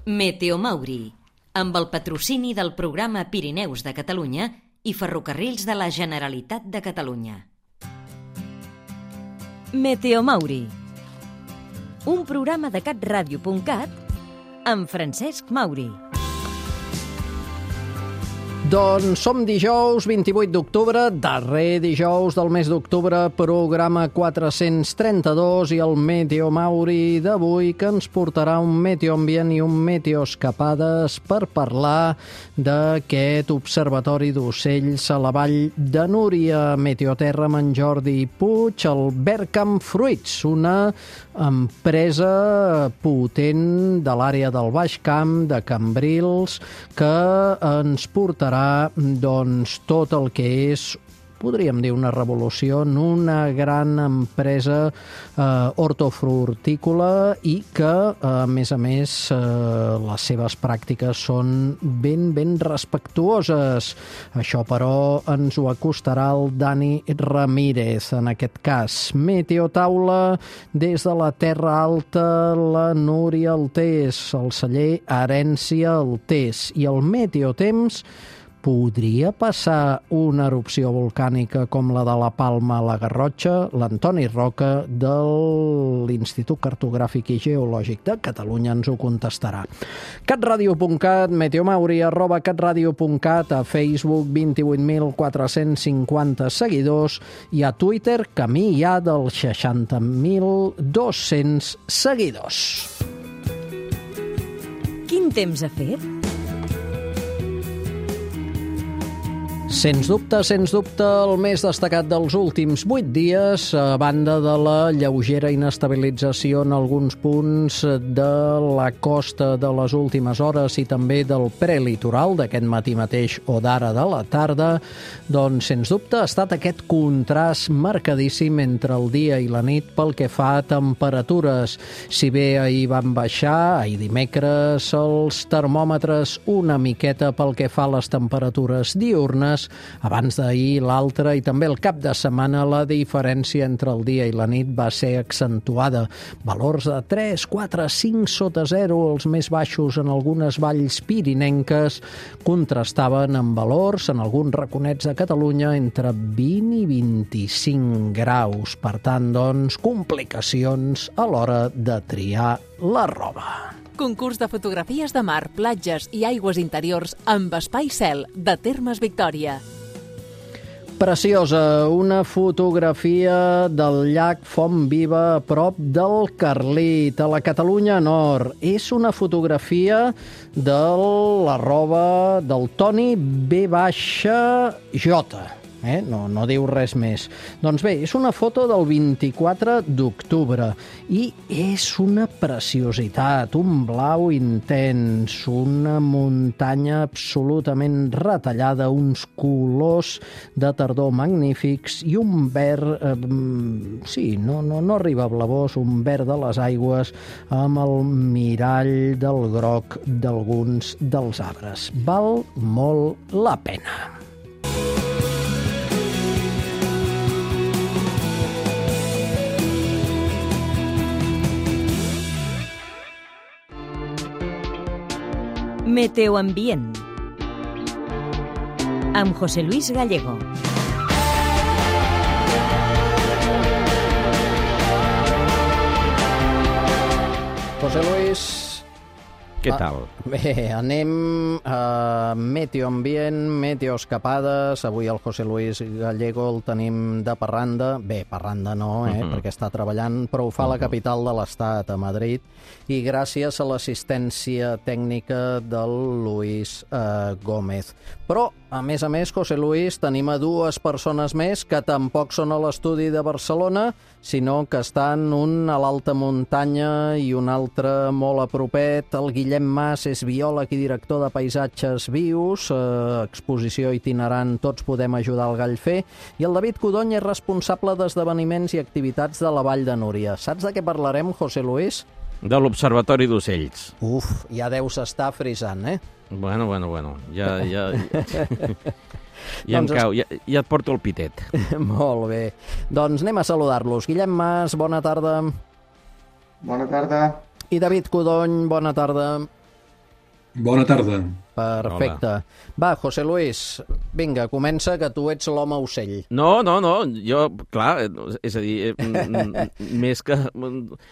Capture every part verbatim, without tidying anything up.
Meteo Mauri, amb el patrocini del programa Pirineus de Catalunya i Ferrocarrils de la Generalitat de Catalunya. Meteo Mauri, un programa de catradio punt cat amb Francesc Mauri. Doncs som dijous vint-i-vuit d'octubre, darrer dijous del mes d'octubre, programa quatre-cents trenta-dos, i el Meteo Mauri d'avui que ens portarà un meteoambient i un meteoescapades per parlar d'aquest observatori d'ocells a la vall de Núria, Meteoterra amb en Jordi Puig, el Vercamp Fruits, una empresa potent de l'àrea del Baix Camp, de Cambrils, que ens portarà doncs tot el que és, podríem dir, una revolució en una gran empresa eh, hortofrutícola i que, a més a més, eh, les seves pràctiques són ben, ben respectuoses. Això, però, ens ho acostarà el Dani Ramírez, en aquest cas. Meteotaula des de la Terra Alta, la Núria Altés, el celler Herència Altés, i el meteotemps. Podria passar una erupció volcànica com la de la Palma a la Garrotxa? L'Antoni Roca, de l'Institut Cartogràfic i Geològic de Catalunya, ens ho contestarà. catradio punt cat, meteomauri, arroba catradio punt cat, a Facebook vint-i-vuit mil quatre-cents cinquanta seguidors i a Twitter camí ja dels seixanta mil dos-cents seguidors. Quin temps ha fet? Sens dubte, sens dubte, el més destacat dels últims vuit dies, a banda de la lleugera inestabilització en alguns punts de la costa de les últimes hores i també del prelitoral d'aquest matí mateix o d'ara de la tarda, doncs, sens dubte, ha estat aquest contrast marcadíssim entre el dia i la nit pel que fa a temperatures. Si bé ahir van baixar, ahir dimecres, els termòmetres una miqueta pel que fa a les temperatures diurnes, abans d'ahir l'altre i també el cap de setmana la diferència entre el dia i la nit va ser accentuada. Valors de tres, quatre, cinc sota zero, els més baixos en algunes valls pirinenques, contrastaven amb valors en alguns raconets de Catalunya entre vint i vint-i-cinc graus. Per tant, doncs, complicacions a l'hora de triar la roba. Concurs de fotografies de mar, platges i aigües interiors amb Espai Cel, de Termes Victòria. Preciosa, una fotografia del llac Font Viva a prop del Carlit, a la Catalunya Nord. És una fotografia de la roba del Toni B J. Eh? No, no diu res més. Doncs bé, és una foto del vint-i-quatre d'octubre i és una preciositat, un blau intens, una muntanya absolutament retallada, uns colors de tardor magnífics i un verd, eh, sí, no, no, no arriba a blavós, un verd de les aigües amb el mirall del groc d'alguns dels arbres. Val molt la pena. Meteoambient amb José Luis Gallego. José Luis, què tal? Ah, bé, anem a meteoambient, meteoescapades. Avui el José Luis Gallego el tenim de parranda. Bé, parranda no, eh, uh-huh. perquè està treballant, però ho fa a la capital de l'Estat, a Madrid, i gràcies a l'assistència tècnica del Luis eh, Gómez. Però, a més a més, José Luis, tenim a dues persones més que tampoc són a l'estudi de Barcelona, sinó que estan un a l'alta muntanya i un altre molt a propet. El Guillem Mas és biòleg i director de Paisatges Vius, eh, exposició itinerant Tots podem ajudar al Gallfer, i el David Codony és responsable d'esdeveniments i activitats de la Vall de Núria. Saps de què parlarem, José Luis? De l'Observatori d'Ocells. Uf, ja deus estar frisant, eh? Bueno, bueno, bueno, ja... ja... Ja em cau, ja, ja et porto el pitet. Molt bé. Doncs anem a saludar-los. Guillem Mas, bona tarda. Bona tarda. I David Codony, bona tarda. Bona tarda. Perfecte. Hola. Va, José Luis, vinga, comença, que tu ets l'home ocell. No, no, no, jo, clar, és a dir, més que...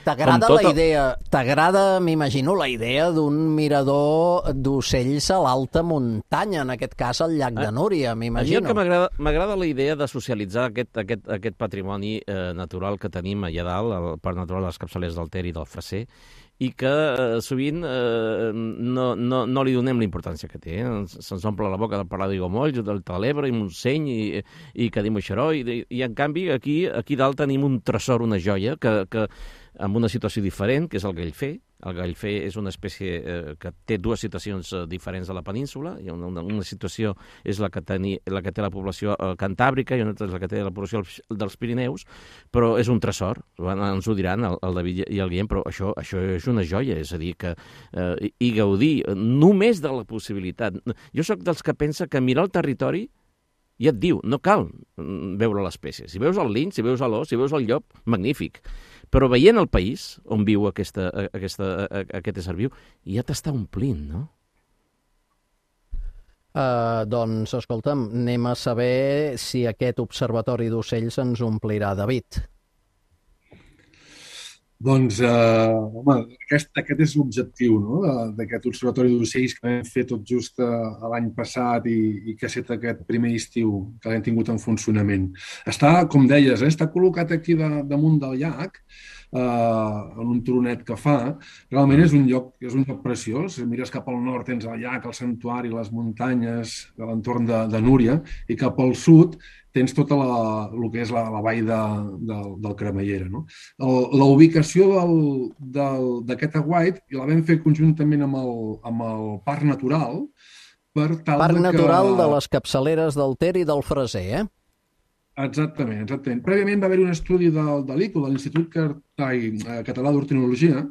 T'agrada tota... la idea, t'agrada, m'imagino, la idea d'un mirador d'ocells a l'alta muntanya, en aquest cas al llac de Núria, m'imagino. A mi que m'agrada la idea de socialitzar aquest, aquest, aquest patrimoni eh, natural que tenim allà dalt, el parc natural de les Capçaleres del Ter i del Freser, i que eh, sovint eh, no, no, no li donem la importància que té. Eh? Se'ns omple la boca de parlar d'Aiguamolls, del Telebre i Montseny i, i que diu Moixeró, i, i en canvi aquí, aquí dalt tenim un tresor, una joia, que, que amb una situació diferent, que és el gallfer. El gallfer és una espècie eh, que té dues situacions eh, diferents a la península. Una, una, una situació és la que, teni, la que té la població eh, cantàbrica i una altra és la que té la població dels Pirineus, però és un tresor, ens ho diran el, el David i el Guillem, però això, això és una joia, és a dir, que eh, i gaudir només de la possibilitat. Jo sóc dels que pensa que mirar el territori ja et diu, no cal veure l'espècie. Si veus el linx, si veus l'os, si veus el llop, magnífic. Però veient el país on viu aquesta, aquesta, aquest ésser viu, ja t'està omplint, no? Uh, doncs, escolta'm, anem a saber si aquest observatori d'ocells ens omplirà, David. Doncs, eh, home, aquest, aquest és l'objectiu, no?, d'aquest observatori d'ocells que vam fer tot just l'any passat i, i que ha estat aquest primer estiu que l'hem tingut en funcionament. Està, com deies, eh, està col·locat aquí de, damunt del llac, eh, en un turonet que fa. Realment és un lloc, és un lloc preciós. Mires cap al nord, tens el llac, el santuari, les muntanyes de l'entorn de, de Núria, i cap al sud tens tota la, el que és la, la vall de, de, del Cremallera. No? El, la ubicació d'aquest aguait la vam fer conjuntament amb el, amb el Parc Natural. Per tal Parc de Natural que... de les Capçaleres del Ter i del Freser, eh? Exactament, exactament. Prèviament va haver-hi un estudi del, de l'I C O, de l'Institut Català d'Ornitologia,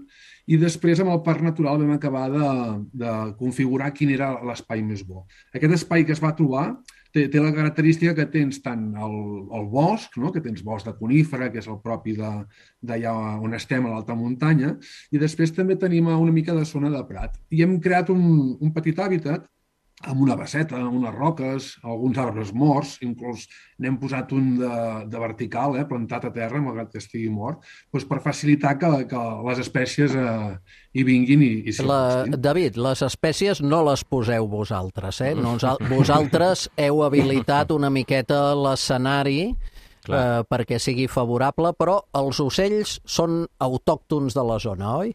i després amb el Parc Natural vam acabar de, de configurar quin era l'espai més bo. Aquest espai que es va trobar té, té la característica que tens tant el, el bosc, no?, que tens bosc de conífera, que és el propi d'allà on estem, a l'alta muntanya, i després també tenim una mica de zona de prat. I hem creat un, un petit hàbitat amb una baseta, unes roques, alguns arbres morts, inclús n'hem posat un de, de vertical, eh, plantat a terra, malgrat que estigui mort, doncs per facilitar que, que les espècies eh, hi vinguin i, i s'hi acostin. David, les espècies no les poseu vosaltres, eh? Nosal vosaltres heu habilitat una miqueta l'escenari eh, perquè sigui favorable, però els ocells són autòctons de la zona, oi?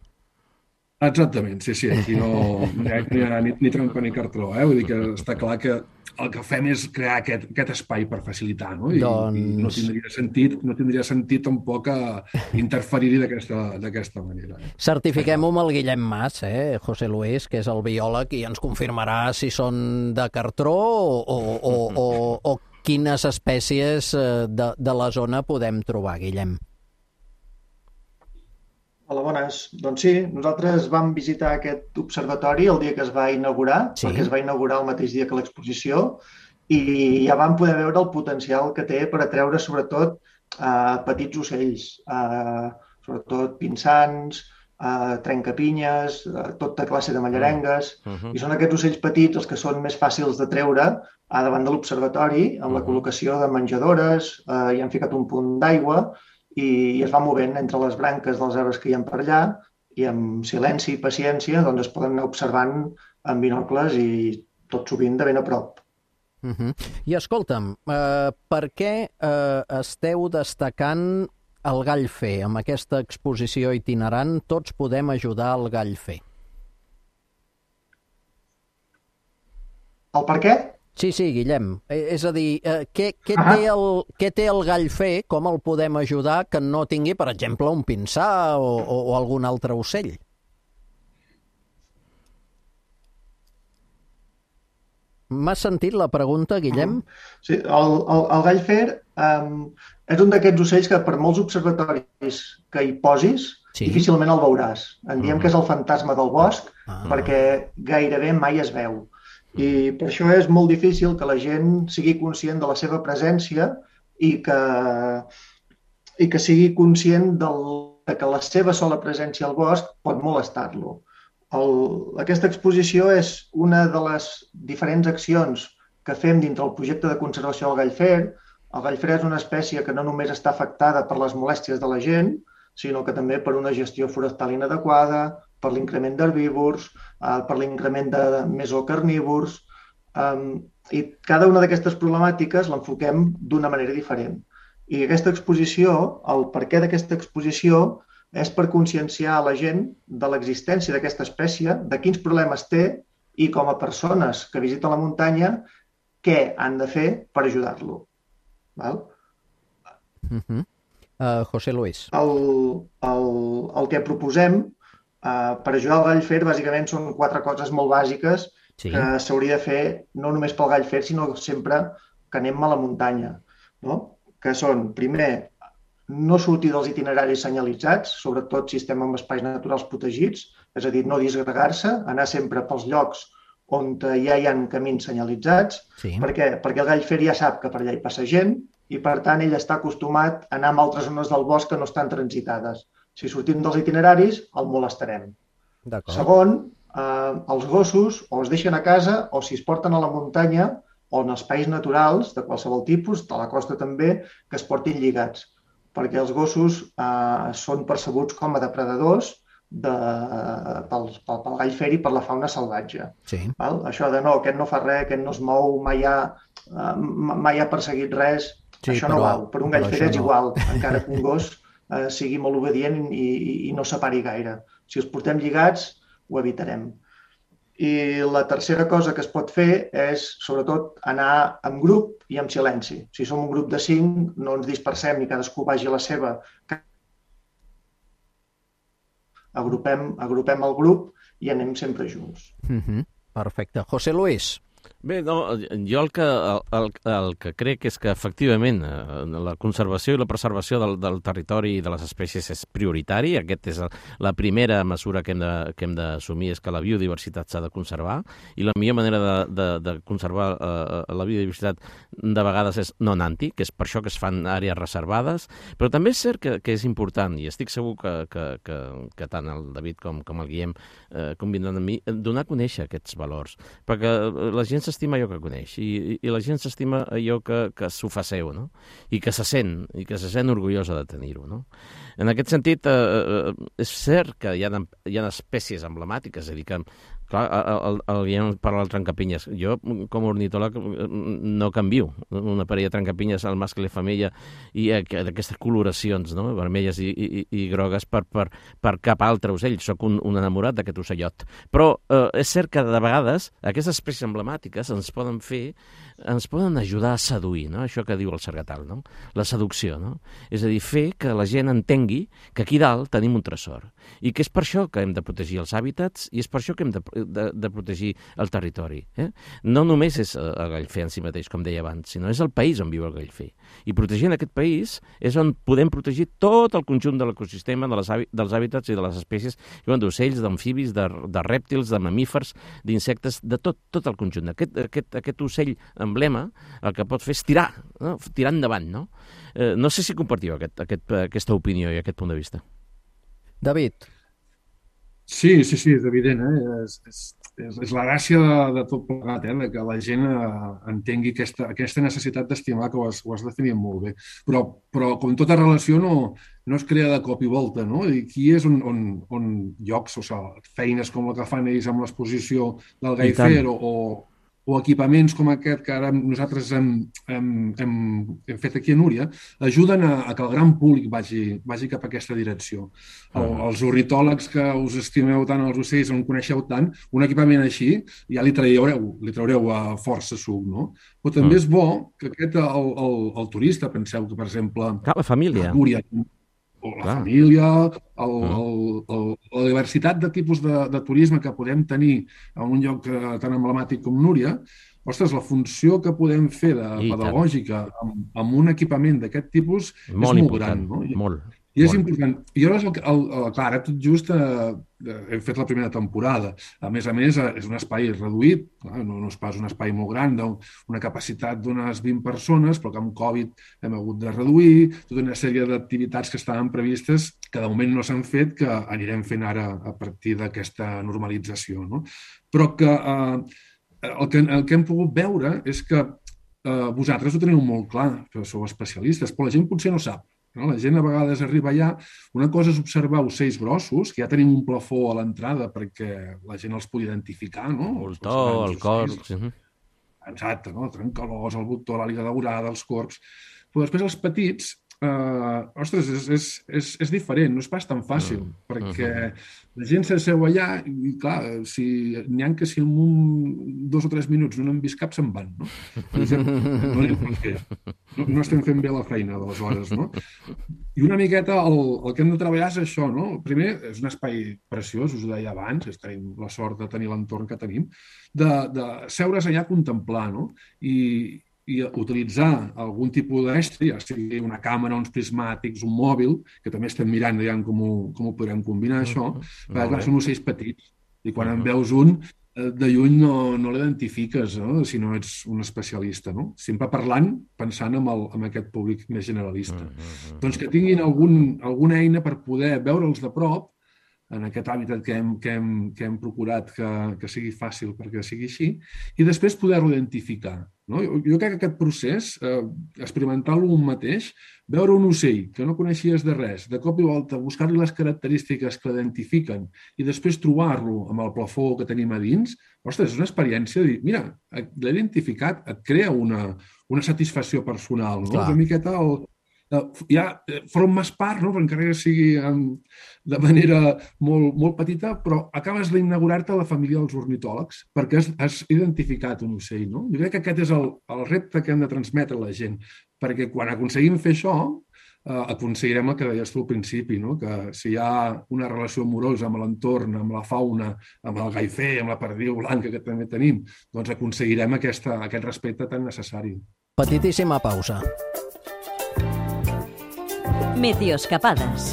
Exactament, sí, sí, aquí no, no hi ha ni, ni trampa ni cartró, eh? Vull dir que està clar que el que fem és crear aquest, aquest espai per facilitar, no? I, doncs... i no tindria sentit, no tindria sentit tampoc interferir-hi d'aquesta manera. Eh? Certifiquem-ho amb el Guillem Mas, eh, José Luis, que és el biòleg, i ens confirmarà si són de cartró o, o, o, o, o quines espècies de, de la zona podem trobar, Guillem. Hola, bones. Doncs sí, nosaltres vam visitar aquest observatori el dia que es va inaugurar, sí. perquè es va inaugurar el mateix dia que l'exposició, i ja vam poder veure el potencial que té per atreure sobretot eh, petits ocells, eh, sobretot pinsans, eh, trencapinyes, eh, tota classe de mallarengues, uh -huh. i són aquests ocells petits els que són més fàcils de treure a davant de l'observatori, amb uh -huh. la col·locació de menjadores, eh, hi han ficat un punt d'aigua, i es va movent entre les branques dels arbres que hi ha per allà, i amb silenci i paciència doncs es poden anar observant amb binocles i tot sovint de ben a prop. Uh -huh. I escolta'm, eh, per què eh, esteu destacant el gallfer? Amb aquesta exposició itinerant tots podem ajudar al gallfer. El per què? Sí, sí, Guillem. És a dir, eh, què, què, té el, què té el gallfer, com el podem ajudar que no tingui, per exemple, un pinsà o, o, o algun altre ocell? M'has sentit la pregunta, Guillem? Sí, el, el, el gallfer um, és un d'aquests ocells que per molts observatoris que hi posis, sí. difícilment el veuràs. En diem que és el fantasma del bosc, ah. perquè gairebé mai es veu. I per això és molt difícil que la gent sigui conscient de la seva presència i que, i que sigui conscient del, que la seva sola presència al bosc pot molestar-lo. el, aquesta exposició és una de les diferents accions que fem dintre el projecte de conservació del gallfer. El gallfer és una espècie que no només està afectada per les molèsties de la gent, sinó que també per una gestió forestal inadequada, per l'increment d'herbívors, eh, per l'increment de mesocarnívors, eh, i cada una d'aquestes problemàtiques l'enfoquem d'una manera diferent. I aquesta exposició, el perquè d'aquesta exposició, és per conscienciar a la gent de l'existència d'aquesta espècie, de quins problemes té i com a persones que visiten la muntanya, què han de fer per ajudar-lo. Val? Uh-huh. uh, José Luis. El, el, el que proposem uh, per ajudar el gallfer bàsicament són quatre coses molt bàsiques sí. que s'hauria de fer no només pel gallfer, sinó sempre que anem a la muntanya. No? Que són, primer, no sortir dels itineraris senyalitzats, sobretot si estem en espais naturals protegits, és a dir, no disgregar-se, anar sempre pels llocs on ja hi ha camins senyalitzats, sí. perquè, perquè el gallfer ja sap que per allà hi passa gent i, per tant, ell està acostumat a anar a altres zones del bosc que no estan transitades. Si sortim dels itineraris, el molestarem. Segon, eh, els gossos o es deixen a casa o si es porten a la muntanya o en espais naturals de qualsevol tipus, de la costa també, que es portin lligats, perquè els gossos eh, són percebuts com a depredadors de, pel, pel, pel gallfer i per la fauna salvatge. Sí. Val? Això de no, aquest no fa res, aquest no es mou, mai ha, uh, mai ha perseguit res, sí, això però, no val. Per un gallfer és no. igual, encara que un gos uh, sigui molt obedient i, i, i no separi gaire. Si els portem lligats, ho evitarem. I la tercera cosa que es pot fer és, sobretot, anar en grup i en silenci. Si som un grup de cinc, no ens dispersem i cadascú vagi a la seva. Agrupem, agrupem el grup i anem sempre junts. Mm-hmm. Perfecte. José Luis. Bé, no, jo el que, el, el que crec és que, efectivament, la conservació i la preservació del, del territori i de les espècies és prioritari. Aquesta és la primera mesura que hem de, que hem d'assumir, és que la biodiversitat s'ha de conservar, i la millor manera de, de, de conservar uh, la biodiversitat de vegades és no anant-hi, que és per això que es fan àrees reservades, però també és cert que, que és important, i estic segur que, que, que, que tant el David com, com el Guillem eh, combinen amb mi, donar a conèixer aquests valors, perquè la gent s'estima allò que coneix i, i, i la gent s'estima allò que, que s'ho fa seu, no? I que se sent, i que se sent orgullosa de tenir-ho, no? En aquest sentit, eh, és cert que hi ha, hi ha espècies emblemàtiques, és a dir, que clar, el, el, el, parla del trencapinyes. Jo, com a ornitòleg, no canvio una parella de trencapinyes al mascle i femella i d'aquestes coloracions, no? Vermelles i, i, i grogues per, per, per cap altre ocell. Soc un, un enamorat d'aquest ocellot. Però eh, és cert que de vegades aquestes espècies emblemàtiques ens poden fer, ens poden ajudar a seduir, no? Això que diu el Sargatal, no? La seducció, no? És a dir, fer que la gent entengui que aquí dalt tenim un tresor i que és per això que hem de protegir els hàbitats i és per això que hem de, de, de protegir el territori. Eh? No només és el gallfer en si mateix, com deia abans, sinó és el país on viu el gallfer. I protegint aquest país és on podem protegir tot el conjunt de l'ecosistema, de les, dels hàbitats i de les espècies d'ocells, d'amfibis, de, de rèptils, de mamífers, d'insectes, de tot, tot el conjunt. Aquest, aquest, aquest ocell emblema el que pot fer és tirar, no? Tirar endavant, no? Eh, no sé si compartiu aquest, aquest, aquesta opinió i aquest punt de vista. David. Sí, sí, sí, és evident. Eh? És, és, és, és la gràcia de, de tot plegat, eh? De que la gent eh, entengui aquesta, aquesta necessitat d'estimar, que ho has, ho has definit molt bé. Però, però com tota relació, no, no es crea de cop i volta, no? I aquí és on, on, on llocs, o sigui, feines com la que fan ells amb l'exposició del gallfer o, o o equipaments com aquest que ara nosaltres hem, hem, hem, hem fet aquí a Núria, ajuden a, a que el gran públic vagi, vagi cap a aquesta direcció. El, els ornitòlegs que us estimeu tant els ocells, on coneixeu tant, un equipament així ja li traureu, li traureu a força suc, no? Però també és bo que aquest, el, el, el turista, penseu que, per exemple... Clar, la família. A Núria, o la Clar. família, el, el, el, la diversitat de tipus de, de turisme que podem tenir en un lloc tan emblemàtic com Núria, ostres, la funció que podem fer de I pedagògica amb, amb un equipament d'aquest tipus molt és molt important. No? I, molt. I és important. I llavors, el, el, el, clar, ara tot just eh, hem fet la primera temporada. A més a més, és un espai reduït, clar, no, no és pas un espai molt gran, una capacitat d'unes vint persones, però que amb Covid hem hagut de reduir, tota una sèrie d'activitats que estaven previstes que de moment no s'han fet, que anirem fent ara a partir d'aquesta normalització. No? Però que, eh, el que el que hem pogut veure és que eh, vosaltres ho teniu molt clar, que sou especialistes, però la gent potser no sap. No? La gent a vegades arriba allà, una cosa és observar ocells grossos, que ja tenim un plafó a l'entrada perquè la gent els pugui identificar, no? El to, el corb... Exacte, no? El trencalòs, el botó, l'àliga daurada, els corbs... Però després els petits, eh, ostres, és, és, és, és diferent, no és pas tan fàcil, mm. perquè la gent s'asseu allà i, clar, si n'hi ha que si en un, dos o tres minuts no n'han vist cap, se'n van, no? Per exemple, no, no, no estem fent bé la feina, d'aleshores, no? I una miqueta el, el que hem de treballar és això, no? Primer, és un espai preciós, us ho deia abans, tenim la sort de tenir l'entorn que tenim, de, de seure's allà a contemplar, no? I, i utilitzar algun tipus d'estri, ja sigui una càmera, uns prismàtics, un mòbil, que també estem mirant ja com ho, com ho podrem combinar, això, perquè clar, són ocells petits, i quan en veus un, de lluny no, no l'identifiques, no? Si no ets un especialista, no? Sempre parlant, pensant en, el, en aquest públic més generalista. Doncs que tinguin algun, alguna eina per poder veure'ls de prop, en aquest hàbitat que hem, que hem, que hem procurat que, que sigui fàcil perquè sigui així, i després poder-lo identificar. No? Jo, jo crec que aquest procés, eh, experimentar-lo un mateix, veure un ocell que no coneixies de res, de cop i volta buscar-li les característiques que l'identifiquen i després trobar-lo amb el plafó que tenim a dins, ostres, és una experiència de dir, mira, l'he identificat, et crea una, una satisfacció personal, no? Una miqueta el... ja formes part, no? Encara que sigui de manera molt, molt petita, però acabes d'inaugurar-te a la família dels ornitòlegs perquè has, has identificat un ocell. No? Jo crec que aquest és el, el repte que hem de transmetre a la gent, perquè quan aconseguim fer això, eh, aconseguirem el que deies tu al principi, no? Que si hi ha una relació amorosa amb l'entorn, amb la fauna, amb el gaifer, amb la perdiu blanca que també tenim, doncs aconseguirem aquesta, aquest respecte tan necessari. Petitíssima pausa. Meteoscapades.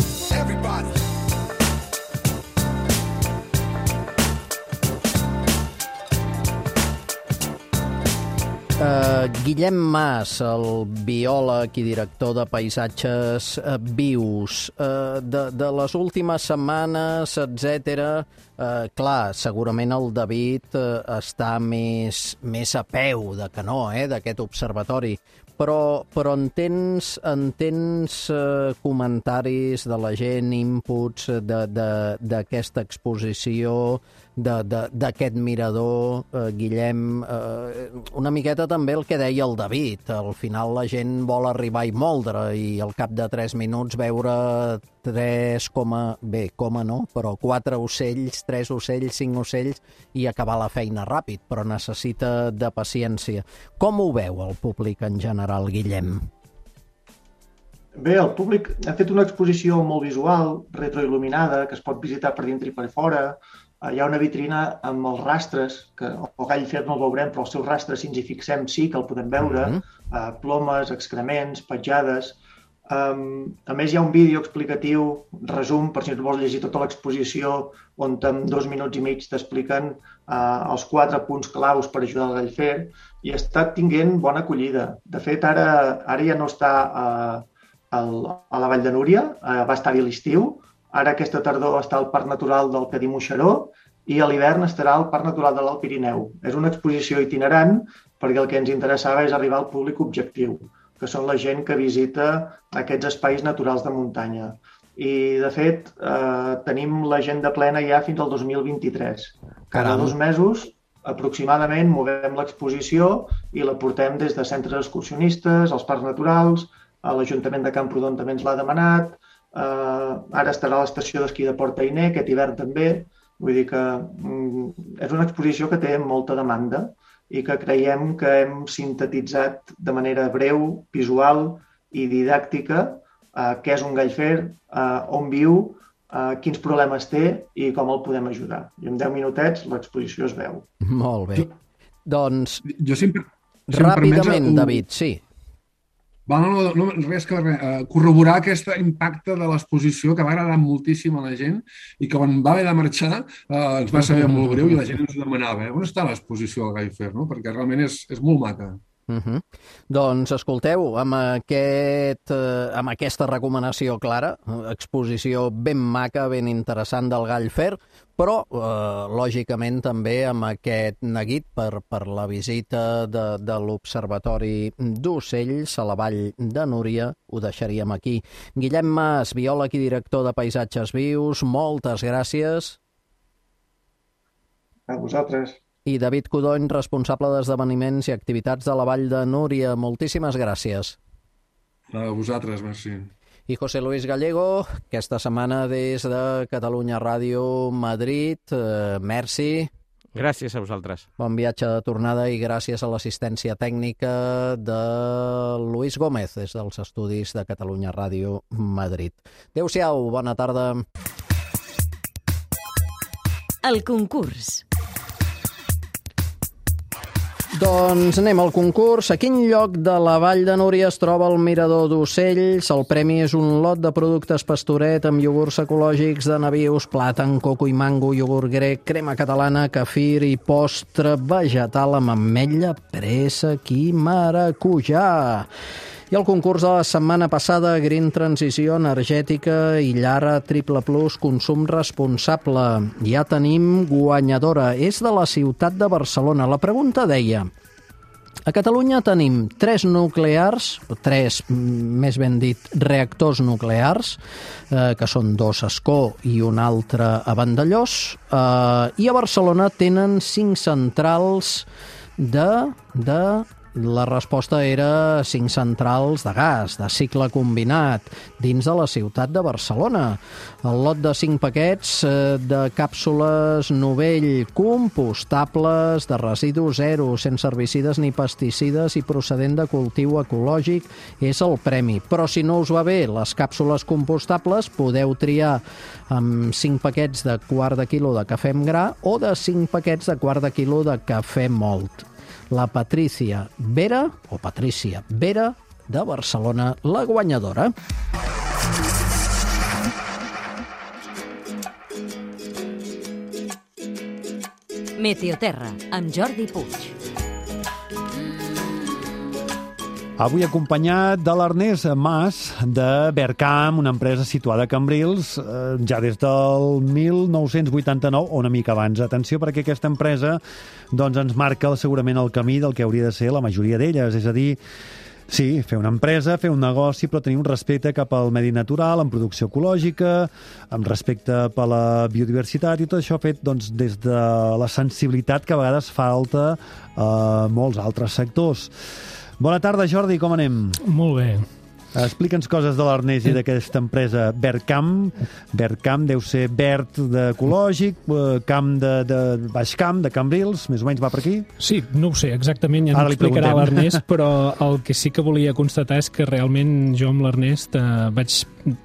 Uh, Guillem Mas, el biòleg i director de Paisatges uh, Vius, uh, de, de les últimes setmanes, etcètera. Uh, clar, segurament el David uh, està més, més a peu de que no, eh, d'aquest observatori, però, però en tens, en tens uh, comentaris de la gent, inputs d'aquesta exposició, d'aquest mirador, eh, Guillem, eh, una miqueta també el que deia el David. Al final la gent vol arribar i moldre i al cap de tres minuts veure tres coma, bé, coma no, però quatre ocells, tres ocells, cinc ocells i acabar la feina ràpid, però necessita de paciència. Com ho veu el públic en general, Guillem? Bé, el públic ha fet una exposició molt visual, retroil·luminada, que es pot visitar per dintre i per fora. Hi ha una vitrina amb els rastres, que el gall-fer no el veurem, però els seus rastres, si ens hi fixem, sí que el podem veure, uh-huh. uh, plomes, excrements, petjades. Um, a més, hi ha un vídeo explicatiu, resum, per si et vols llegir tota l'exposició, on en dos minuts i mig t'expliquen uh, els quatre punts claus per ajudar el gall-fer, i està tinguent bona acollida. De fet, ara, ara ja no està uh, al, a la Vall de Núria, uh, va estar-hi a l'estiu. Ara aquesta tardor està al Parc Natural del Cadí-Moixeró i a l'hivern estarà al Parc Natural de l'Alt Pirineu. És una exposició itinerant perquè el que ens interessava és arribar al públic objectiu, que són la gent que visita aquests espais naturals de muntanya. I, de fet, eh, tenim l'agenda plena ja fins al dos mil vint-i-tres. Cada dos mesos, aproximadament, movem l'exposició i la portem des de centres excursionistes, als parcs naturals, a l'Ajuntament de Camprodon també ens l'ha demanat. Uh, ara estarà a l'estació d'esquí de Port Ainé, aquest hivern també. Vull dir que um, és una exposició que té molta demanda i que creiem que hem sintetitzat de manera breu, visual i didàctica uh, què és un gall-fer, uh, on viu, uh, quins problemes té i com el podem ajudar. I en deu minutets l'exposició es veu. Molt bé. Jo, doncs, jo sempre, ràpidament, un... David, sí. Va, no, no, no, res que res, uh, corroborar aquest impacte de l'exposició que va agradar moltíssim a la gent i que quan va haver de marxar uh, ens va saber molt greu i la gent ens demanava eh, on està l'exposició al Gai Fer, no? Perquè realment és, és molt maca. Uh -huh. Doncs escolteu, amb, aquest, eh, amb aquesta recomanació clara, exposició ben maca, ben interessant del Gall Fer, però eh, lògicament també amb aquest neguit per, per la visita de, de l'Observatori d'Ocells a la Vall de Núria, ho deixaríem aquí. Guillem Mas, biòleg i director de Paisatges Vius, moltes gràcies. A vosaltres. I David Codony, responsable d'esdeveniments i activitats de la Vall de Núria. Moltíssimes gràcies. A vosaltres, merci. I José Luis Gallego, aquesta setmana des de Catalunya Ràdio Madrid. Eh, merci. Gràcies a vosaltres. Bon viatge de tornada i gràcies a l'assistència tècnica de Luis Gómez des dels estudis de Catalunya Ràdio Madrid. Adéu-siau, bona tarda. El concurs. Doncs anem al concurs. A quin lloc de la Vall de Núria es troba el Mirador d'Ocells? El premi és un lot de productes Pastoret amb iogurts ecològics de nabius, plàtan, coco i mango, iogurt grec, crema catalana, kefir i postre vegetal amb ametlla, préssec i maracujà. I el concurs de la setmana passada, Green Transició Energètica i Llara Triple Plus Consum Responsable. Ja tenim guanyadora. És de la ciutat de Barcelona. La pregunta deia: a Catalunya tenim tres nuclears, tres, més ben dit, reactors nuclears, eh, que són dos a Ascó i un altre a Vandellòs, eh, i a Barcelona tenen cinc centrals de... de La resposta era cinc centrals de gas, de cicle combinat, dins de la ciutat de Barcelona. El lot de cinc paquets eh, de càpsules Novell compostables, de residu zero, sense herbicides ni pesticides i procedent de cultiu ecològic és el premi. Però si no us va bé les càpsules compostables, podeu triar amb cinc paquets de quart de quilo de cafè amb gra o de cinc paquets de quart de quilo de cafè mòlt. La Patrícia Vera, o Patrícia Vera, de Barcelona, la guanyadora. Meteoterra, amb Jordi Puig. Avui acompanyat de l'Ernest Mas, de Vercam, una empresa situada a Cambrils, eh, ja des del mil nou-cents vuitanta-nou, o una mica abans. Atenció, perquè aquesta empresa doncs, ens marca segurament el camí del que hauria de ser la majoria d'elles, és a dir, sí, fer una empresa, fer un negoci, però tenir un respecte cap al medi natural, amb producció ecològica, amb respecte per la biodiversitat, i tot això fet doncs, des de la sensibilitat que a vegades falta a molts altres sectors. Bona tarda, Jordi, com anem? Molt bé. Explica'ns coses de l'Ernest i d'aquesta empresa Vercam. Vercam deu ser verd d'ecològic, camp de, de baix camp, de Cambrils, més o menys va per aquí? Sí, no ho sé, exactament, ja ens explicarà l'Ernest, però el que sí que volia constatar és que realment jo amb l'Ernest eh, vaig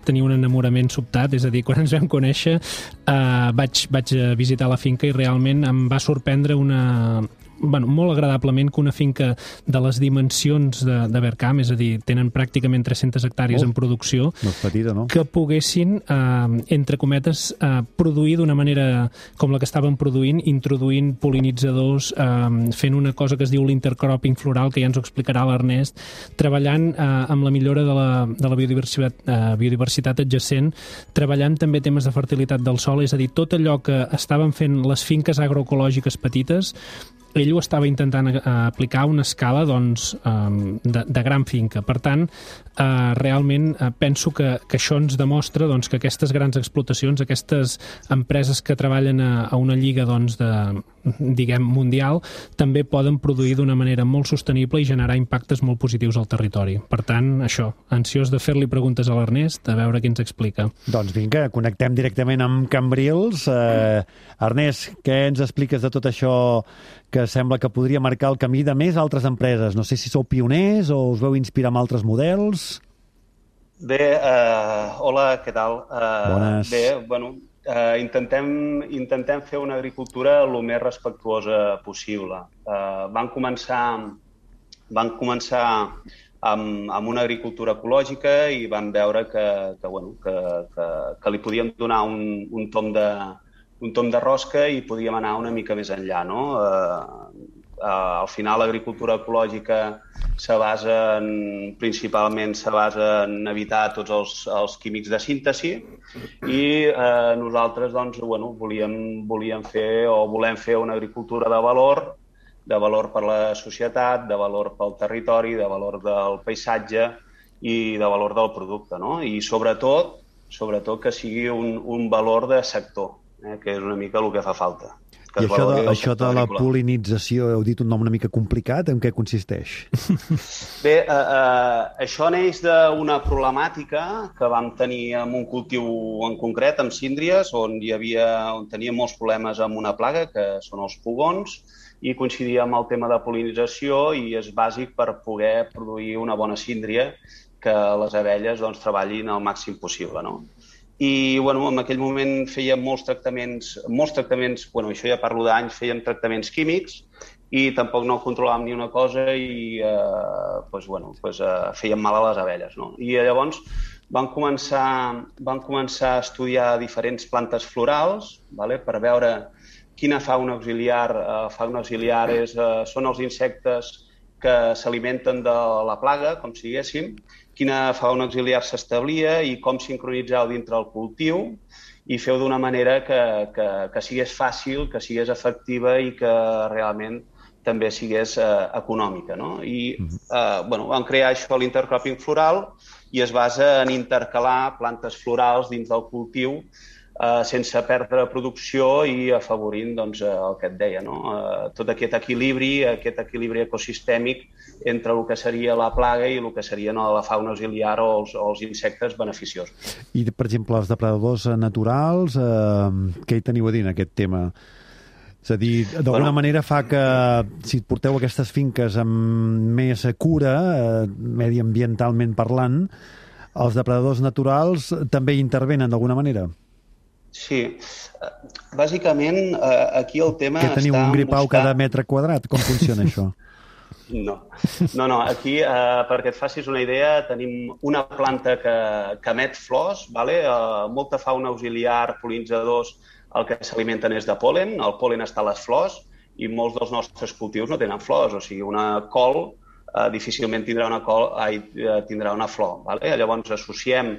tenir un enamorament sobtat, és a dir, quan ens vam conèixer eh, vaig, vaig visitar la finca i realment em va sorprendre una... Bueno, molt agradablement que una finca de les dimensions de, de Vercam, és a dir, tenen pràcticament tres-centes hectàrees oh, en producció, no és petita, no? Que poguessin, eh, entre cometes, eh, produir d'una manera com la que estaven produint, introduint pol·linitzadors, eh, fent una cosa que es diu l'intercropping floral, que ja ens ho explicarà l'Ernest, treballant eh, amb la millora de la, de la biodiversitat, eh, biodiversitat adjacent, treballant també temes de fertilitat del sòl, és a dir, tot allò que estaven fent les finques agroecològiques petites, ell ho estava intentant eh, aplicar a una escala doncs, eh, de, de gran finca. Per tant, eh, realment eh, penso que, que això ens demostra doncs, que aquestes grans explotacions, aquestes empreses que treballen a, a una lliga doncs, de, diguem, mundial, també poden produir d'una manera molt sostenible i generar impactes molt positius al territori. Per tant, això, ansiós de fer-li preguntes a l'Ernest, a veure què ens explica. Doncs vinga, connectem directament amb Cambrils. Eh, Ernest, què ens expliques de tot això que sembla que podria marcar el camí de més altres empreses? No sé si sou pioners o us veu inspirar amb altres models. Bé, uh, hola, què tal? Uh, Bones. Bé, bueno, uh, intentem, intentem fer una agricultura el més respectuosa possible. Uh, van començar, van començar amb, amb una agricultura ecològica i vam veure que, que, bueno, que, que, que li podíem donar un, un tom de, un tom de rosca i podíem anar una mica més enllà, no? Eh, eh, al final l'agricultura ecològica se basa en, principalment se basa en evitar tots els, els químics de síntesi i eh, nosaltres doncs, bueno, volíem, volíem fer o volem fer una agricultura de valor, de valor per la societat, de valor pel territori, de valor del paisatge i de valor del producte, no? I sobretot, sobretot que sigui un, un valor de sector, eh, que és una mica el que fa falta. I això de, això de la pol·linització, heu dit un nom una mica complicat, en què consisteix? Bé, eh, eh, això neix d'una problemàtica que vam tenir amb un cultiu en concret, amb síndries, on hi havia, on teníem molts problemes amb una plaga, que són els pugons, i coincidia amb el tema de pol·linització i és bàsic per poder produir una bona síndria que les abelles doncs, treballin al màxim possible, no? I bueno, en aquell moment fèiem molts tractaments, molts tractaments, bueno, això ja parlo d'anys, fèiem tractaments químics i tampoc no controlàvem ni una cosa i eh, pues, bueno, pues, eh, fèiem mal a les abelles, no? I llavors vam començar, vam començar a estudiar diferents plantes florals, vale, per veure quina fauna auxiliar, eh, fauna auxiliar és, eh, són els insectes que s'alimenten de la plaga, com si diguéssim, quina fauna auxiliar s'establia i com sincronitzar dintre el cultiu i fer-ho d'una manera que, que, que sigués fàcil, que sigués efectiva i que realment també sigués eh, econòmica, no? I eh, bueno, vam crear això, l'intercropping floral, i es basa en intercalar plantes florals dins del cultiu eh, sense perdre producció i afavorint doncs, el que et deia, no? Eh, tot aquest equilibri, aquest equilibri ecosistèmic entre el que seria la plaga i el que seria no, la fauna auxiliar o els, o els insectes beneficiosos. I, per exemple, els depredadors naturals, eh, què hi teniu a dir en aquest tema? És a dir, d'alguna bueno, manera fa que, si porteu aquestes finques amb més cura, eh, mediambientalment parlant, els depredadors naturals també intervenen d'alguna manera? Sí. Bàsicament, aquí el tema està... Que teniu un gripau buscar... cada metre quadrat? Com funciona això? No, no, no. Aquí, eh, perquè et facis una idea, tenim una planta que, que emet flors, vale? eh, molta fauna auxiliar, pol·linitzadors, el que s'alimenten és de pol·len, el pol·len està a les flors i molts dels nostres cultius no tenen flors, o sigui, una col eh, difícilment tindrà una, col, ai, tindrà una flor. Vale? Llavors associem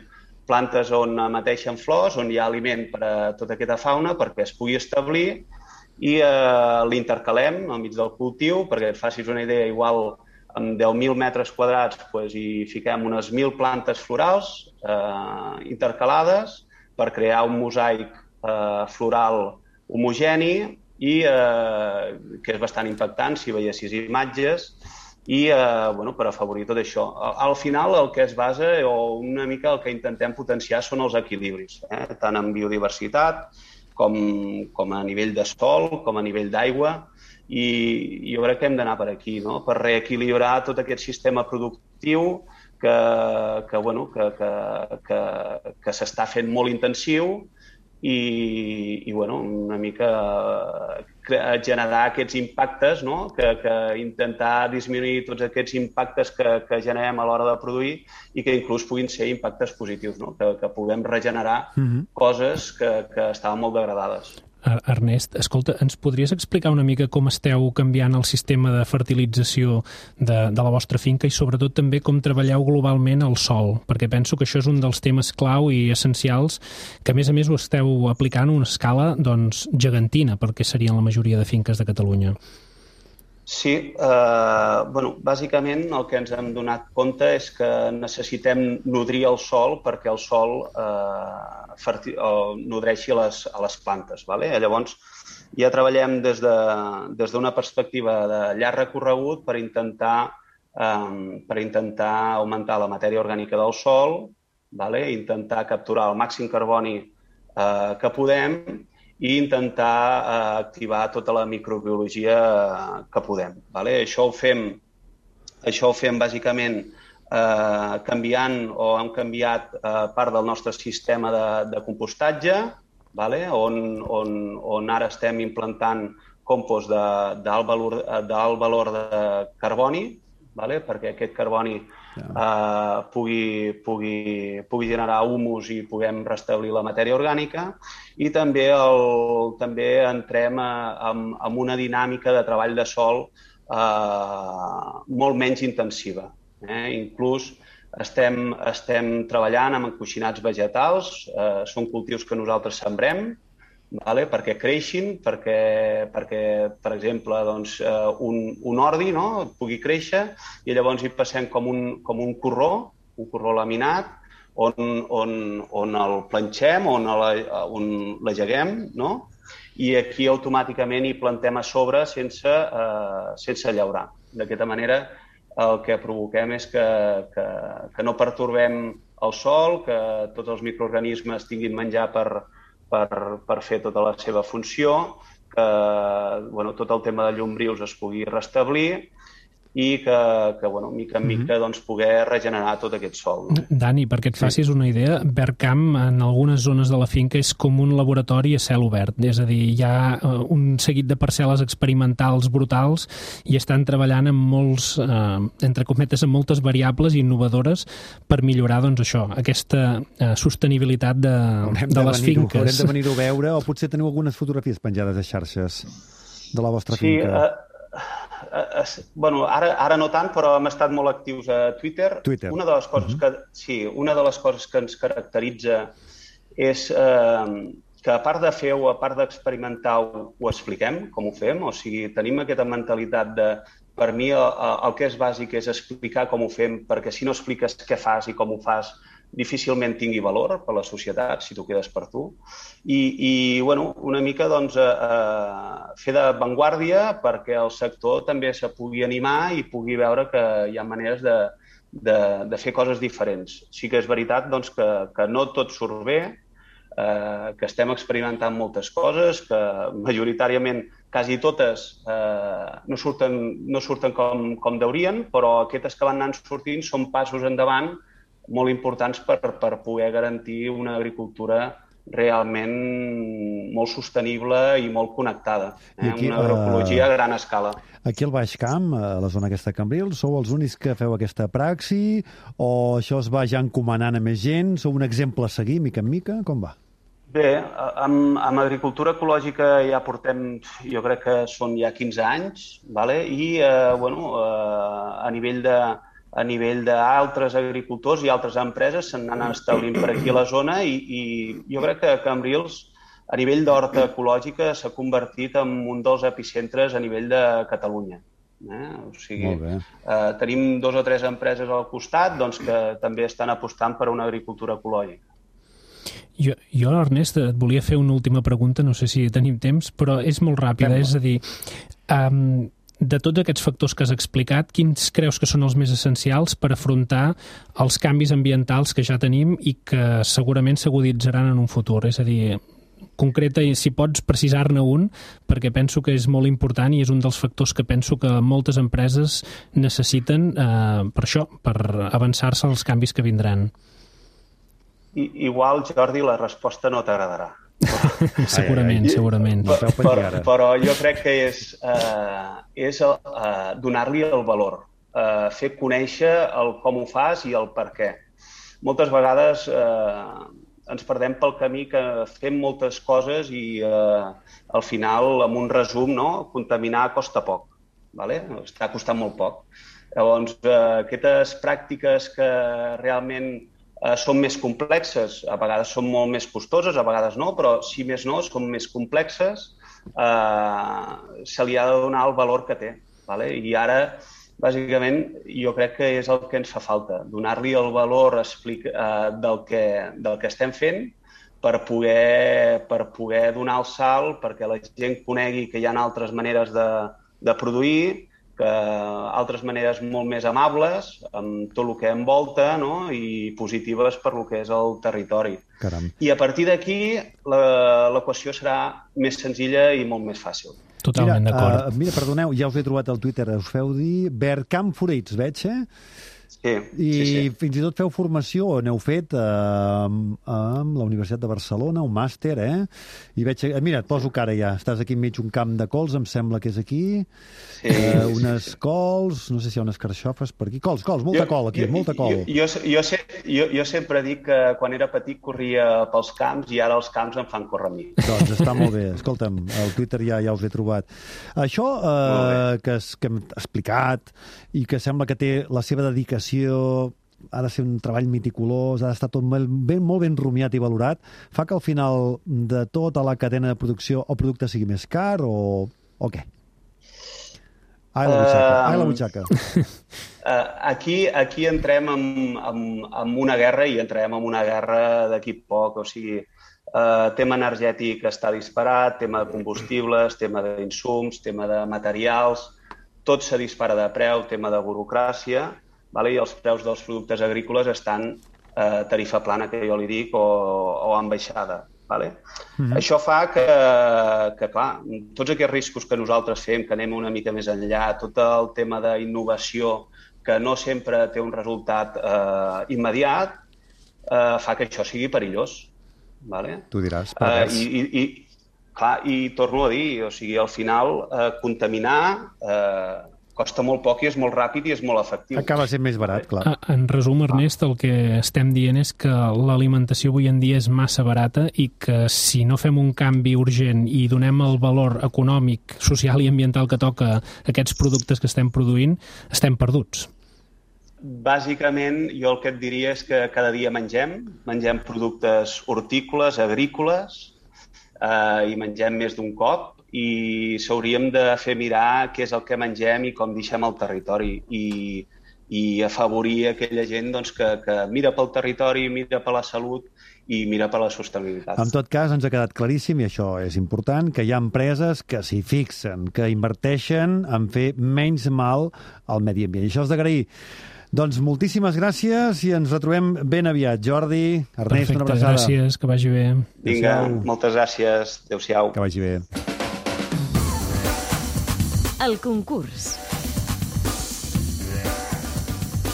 plantes on emeteixen flors, on hi ha aliment per a tota aquesta fauna perquè es pugui establir i eh, l'intercalem al mig del cultiu, perquè et facis una idea, igual amb deu mil metres quadrats pues, hi fiquem unes mil plantes florals eh, intercalades per crear un mosaic eh, floral homogeni i eh, que és bastant impactant si veiessis imatges i eh, bueno, per afavorir tot això. Al final el que es basa o una mica el que intentem potenciar són els equilibris, eh? Tant en biodiversitat com, com a nivell de sol, com a nivell d'aigua i jo crec que hem d'anar per aquí, no? Per reequilibrar tot aquest sistema productiu que, que, bueno, que, que, que, que s'està fent molt intensiu i, i bueno, una mica generar aquests impactes, no? que, que intentar disminuir tots aquests impactes que, que generem a l'hora de produir i que inclús puguin ser impactes positius, no? que, que puguem regenerar mm-hmm. coses que, que estaven molt degradades. Ernest, escolta, ens podries explicar una mica com esteu canviant el sistema de fertilització de, de la vostra finca i sobretot també com treballeu globalment el sòl? Perquè penso que això és un dels temes clau i essencials que a més a més ho esteu aplicant a una escala doncs, gegantina perquè serien la majoria de finques de Catalunya. Sí, eh, bueno, bàsicament el que ens hem donat compte és que necessitem nodrir el sòl perquè el sòl eh, ferti, eh, nodreixi les, a les plantes. Vale? Llavors, ja treballem des de, des d'una perspectiva de llarg recorregut per intentar, eh, per intentar augmentar la matèria orgànica del sòl, vale? Intentar capturar el màxim carboni eh, que podem i intentar eh, activar tota la microbiologia eh, que podem. Vale? Això ho fem, això ho fem bàsicament eh, canviant o hem canviat eh, part del nostre sistema de, de compostatge, vale? on, on, on ara estem implantant compost d'alt valor, d'alt valor de carboni, vale? Perquè aquest carboni Uh, pugui, pugui, pugui generar humus i puguem restablir la matèria orgànica, i també, el, també entrem a, a, a una dinàmica de treball de sòl uh, molt menys intensiva. Eh? Inclús estem, estem treballant amb encoixinats vegetals, uh, són cultius que nosaltres sembrem, vale? Perquè creixin, perquè, perquè per exemple, doncs, eh, un, un ordi, no? Pugui créixer, i llavors hi passem com un, com un corró, un corró laminat, on, on, on el planxem, on, la, on l'ageguem, no? I aquí automàticament hi plantem a sobre sense, eh, sense llaurar. D'aquesta manera el que provoquem és que, que, que no pertorbem el sòl, que tots els microorganismes tinguin menjar per Per, per fer tota la seva funció, que bueno, tot el tema de llombrius es pugui restablir i que, que bueno, mica en mica, doncs, poder regenerar tot aquest sòl. No? Dani, perquè et facis una idea, Verkam en algunes zones de la finca és com un laboratori a cel obert, és a dir, hi ha un seguit de parcel·les experimentals brutals i estan treballant amb molts, eh, entre cometes, amb moltes variables innovadores per millorar, doncs, això, aquesta eh, sostenibilitat de, de les finques. Haurem de venir-ho a veure, o potser teniu algunes fotografies penjades a xarxes de la vostra sí, finca. Uh... Uh, uh, bueno, ara, ara no tant, però hem estat molt actius a Twitter. Twitter. Una de les coses que, sí, una de les coses que ens caracteritza és eh, que a part de fer o a part d'experimentar ho, ho expliquem, com ho fem, o sigui, tenim aquesta mentalitat de, per mi el, el que és bàsic és explicar com ho fem, perquè si no expliques què fas i com ho fas, difícilment tingui valor per la societat, si tu quedes per tu. I, i bueno, una mica doncs, eh, fer d'avantguàrdia perquè el sector també se pugui animar i pugui veure que hi ha maneres de, de, de fer coses diferents. Sí que és veritat doncs, que, que no tot surt bé, eh, que estem experimentant moltes coses, que majoritàriament quasi totes eh, no surten, no surten com, com deurien, però aquestes que van anant sortint són passos endavant molt importants per, per poder garantir una agricultura realment molt sostenible i molt connectada. Eh? Aquí, una agroecologia a gran escala. Aquí al Baix Camp, a la zona aquesta de Cambrils, sou els únics que feu aquesta praxi o això es va ja encomanant a més gent? Sou un exemple a seguir, mica en mica? Com va? Bé, amb, amb agricultura ecològica ja portem, jo crec que són ja quinze anys, vale? I eh, bueno, eh, a nivell de a nivell d'altres agricultors i altres empreses se'n han establint per aquí a la zona i, i jo crec que Cambrils, a nivell d'horta ecològica, s'ha convertit en un dels epicentres a nivell de Catalunya. Eh? O sigui, eh, tenim dos o tres empreses al costat doncs, que també estan apostant per una agricultura ecològica. Jo, jo, Ernest, et volia fer una última pregunta, no sé si tenim temps, però és molt ràpida, és a dir... Um, de tots aquests factors que has explicat, quins creus que són els més essencials per afrontar els canvis ambientals que ja tenim i que segurament s'aguditzaran en un futur? És a dir, concreta, si pots precisar-ne un, perquè penso que és molt important i és un dels factors que penso que moltes empreses necessiten eh, per això, per avançar-se als canvis que vindran. I, igual, Jordi, la resposta no t'agradarà. segurament, ai, ai. segurament. Però, però, però jo crec que és, eh, és eh, donar-li el valor, eh, fer conèixer el com ho fas i el per què. Moltes vegades eh, ens perdem pel camí que fem moltes coses i eh, al final, amb un resum, no? Contaminar costa poc, vale? Està costant molt poc. Llavors, eh, aquestes pràctiques que realment Uh, són més complexes, a vegades són molt més costoses, a vegades no, però si més no, són més complexes, uh, se li ha de donar el valor que té. Vale? I ara, bàsicament, jo crec que és el que ens fa falta, donar-li el valor explica, uh, del, que, del que estem fent per poder, per poder donar el salt, perquè la gent conegui que hi ha altres maneres de, de produir, que altres maneres molt més amables, amb tot el que envolta, no? I positives per el que és el territori. Caram. I a partir d'aquí l'equació serà més senzilla i molt més fàcil. Totalment d'acord. Uh, mira, perdoneu, ja us he trobat al Twitter, us feu dir Verkam Fruits, veig, eh? Sí, I sí, sí. fins i tot feu formació, n'heu fet eh, amb la Universitat de Barcelona, un màster, eh? I veig... Mira, et poso cara ja. Estàs aquí enmig un camp de cols, em sembla que és aquí. Sí, eh, sí, unes sí. cols, no sé si hi ha unes carxofes per aquí. Cols, cols, molta Jo- col aquí, jo- molta col. Jo, jo, jo, se- jo, jo sempre dic que quan era petit corria pels camps i ara els camps em fan córrer a mi. Doncs està molt bé. Escolta'm, al Twitter ja ja us he trobat. Això eh, que, es, que hem explicat i que sembla que té la seva dedicació, ha de ser un treball meticulós, ha d'estar tot molt ben, molt ben rumiat i valorat, fa que al final de tota la cadena de producció el producte sigui més car o, o què? Ai, la butxaca. Um, Ai, la butxaca. Uh, aquí, aquí entrem en, en, en una guerra i entrem en una guerra d'aquí poc, o sigui, uh, tema energètic està disparat, tema de combustibles, tema d'insums, tema de materials, tot se dispara de preu, tema de burocràcia, vale? I els preus dels productes agrícoles estan eh, tarifa plana, que jo li dic, o, o en baixada. Vale? Mm-hmm. Això fa que, que, clar, tots aquests riscos que nosaltres fem, que anem una mica més enllà, tot el tema d'innovació, que no sempre té un resultat eh, immediat, eh, fa que això sigui perillós. Vale? Tu diràs, per res. Uh, i, i, i, clar, I torno a dir, o sigui, al final, eh, contaminar eh, costa molt poc i és molt ràpid i és molt efectiu. Acaba sent més barat, clar. En resum, Ernest, el que estem dient és que l'alimentació avui en dia és massa barata i que si no fem un canvi urgent i donem el valor econòmic, social i ambiental que toca a aquests productes que estem produint, estem perduts. Bàsicament, jo el que et diria és que cada dia mengem, mengem productes hortícoles, agrícoles, eh, i mengem més d'un cop, i s'hauríem de fer mirar què és el que mengem i com deixem el territori i, i afavorir aquella gent doncs, que, que mira pel territori, mira per la salut i mira per la sostenibilitat. En tot cas, ens ha quedat claríssim, i això és important, que hi ha empreses que s'hi fixen, que inverteixen en fer menys mal al medi ambient. I això és d'agrair. Doncs moltíssimes gràcies i ens retrobem ben aviat. Jordi, Ernest, Perfecte, una abraçada. gràcies, que vagi bé. Vinga, moltes gràcies. Adéu-siau. Que vagi bé. El concurs.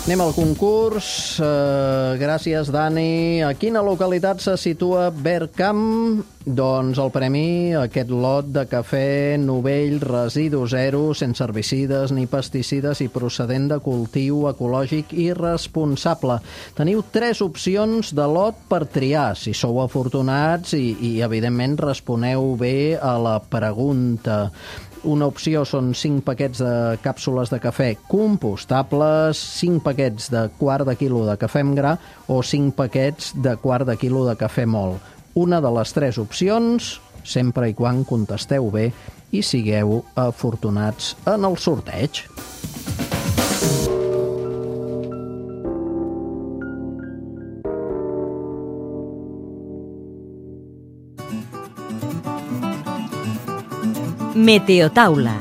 Anem al concurs. Uh, gràcies, Dani. A quina localitat se situa Vercamp? Doncs el premi, aquest lot de cafè novell, residu zero, sense herbicides ni pesticides i procedent de cultiu ecològic i responsable. Teniu tres opcions de lot per triar, si sou afortunats i, i evidentment, responeu bé a la pregunta. Una opció són cinc paquets de càpsules de cafè compostables, cinc paquets de quart de quilo de cafè en gra o cinc paquets de quart de quilo de cafè mòlt. Una de les tres opcions, sempre i quan contesteu bé i sigueu afortunats en el sorteig. Meteotaula.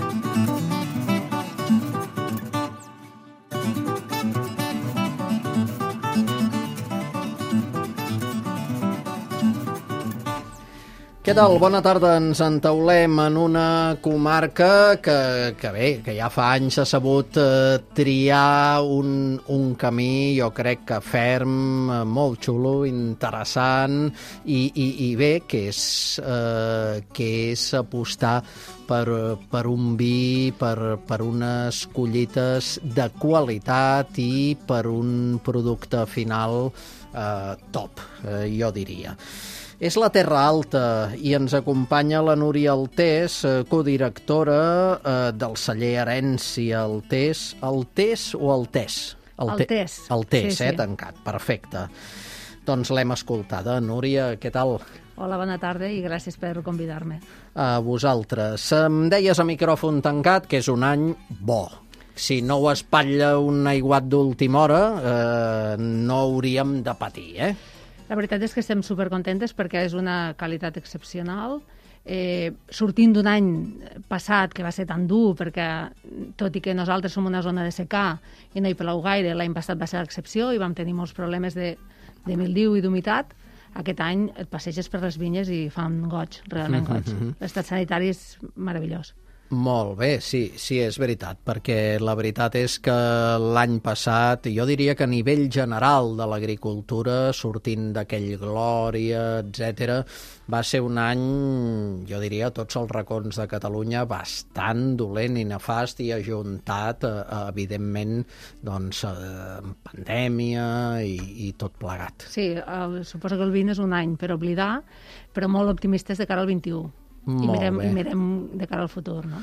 Què tal? Bona tarda. Ens entaulem en una comarca que, que bé, que ja fa anys ha sabut eh, triar un, un camí, jo crec que ferm, eh, molt xulo, interessant i, i, i bé, que és, eh, que és apostar per, per un vi, per, per unes collites de qualitat i per un producte final eh, top, eh, jo diria. És la Terra Alta i ens acompanya la Núria Altés, codirectora eh, del celler Herència Altés. Altés o Altés? Altés. Altés, sí, eh, sí. tancat. Perfecte. Doncs l'hem escoltada. Núria, què tal? Hola, bona tarda i gràcies per convidar-me. A vosaltres. Em deies a micròfon tancat que és un any bo. Si no ho espatlla un aiguat d'última hora, eh, no hauríem de patir, eh? La veritat és que estem supercontentes perquè és una qualitat excepcional. Eh, sortint d'un any passat que va ser tan dur, perquè tot i que nosaltres som una zona de secà i no hi plou gaire, l'any passat va ser l'excepció i vam tenir molts problemes de, de mildiu i d'humitat, aquest any et passeges per les vinyes i fan goig, realment goig. L'estat sanitari és meravellós. Molt bé, sí, sí, és veritat, perquè la veritat és que l'any passat, jo diria que a nivell general de l'agricultura, sortint d'aquell Glòria, etcètera, va ser un any, jo diria, a tots els racons de Catalunya, bastant dolent i nefast i ajuntat, eh, evidentment, doncs, eh, pandèmia i, i tot plegat. Sí, el, suposo que el vint és un any per oblidar, però molt optimistes de cara al vint-i-u. I mirem, I mirem de cara al futur, no?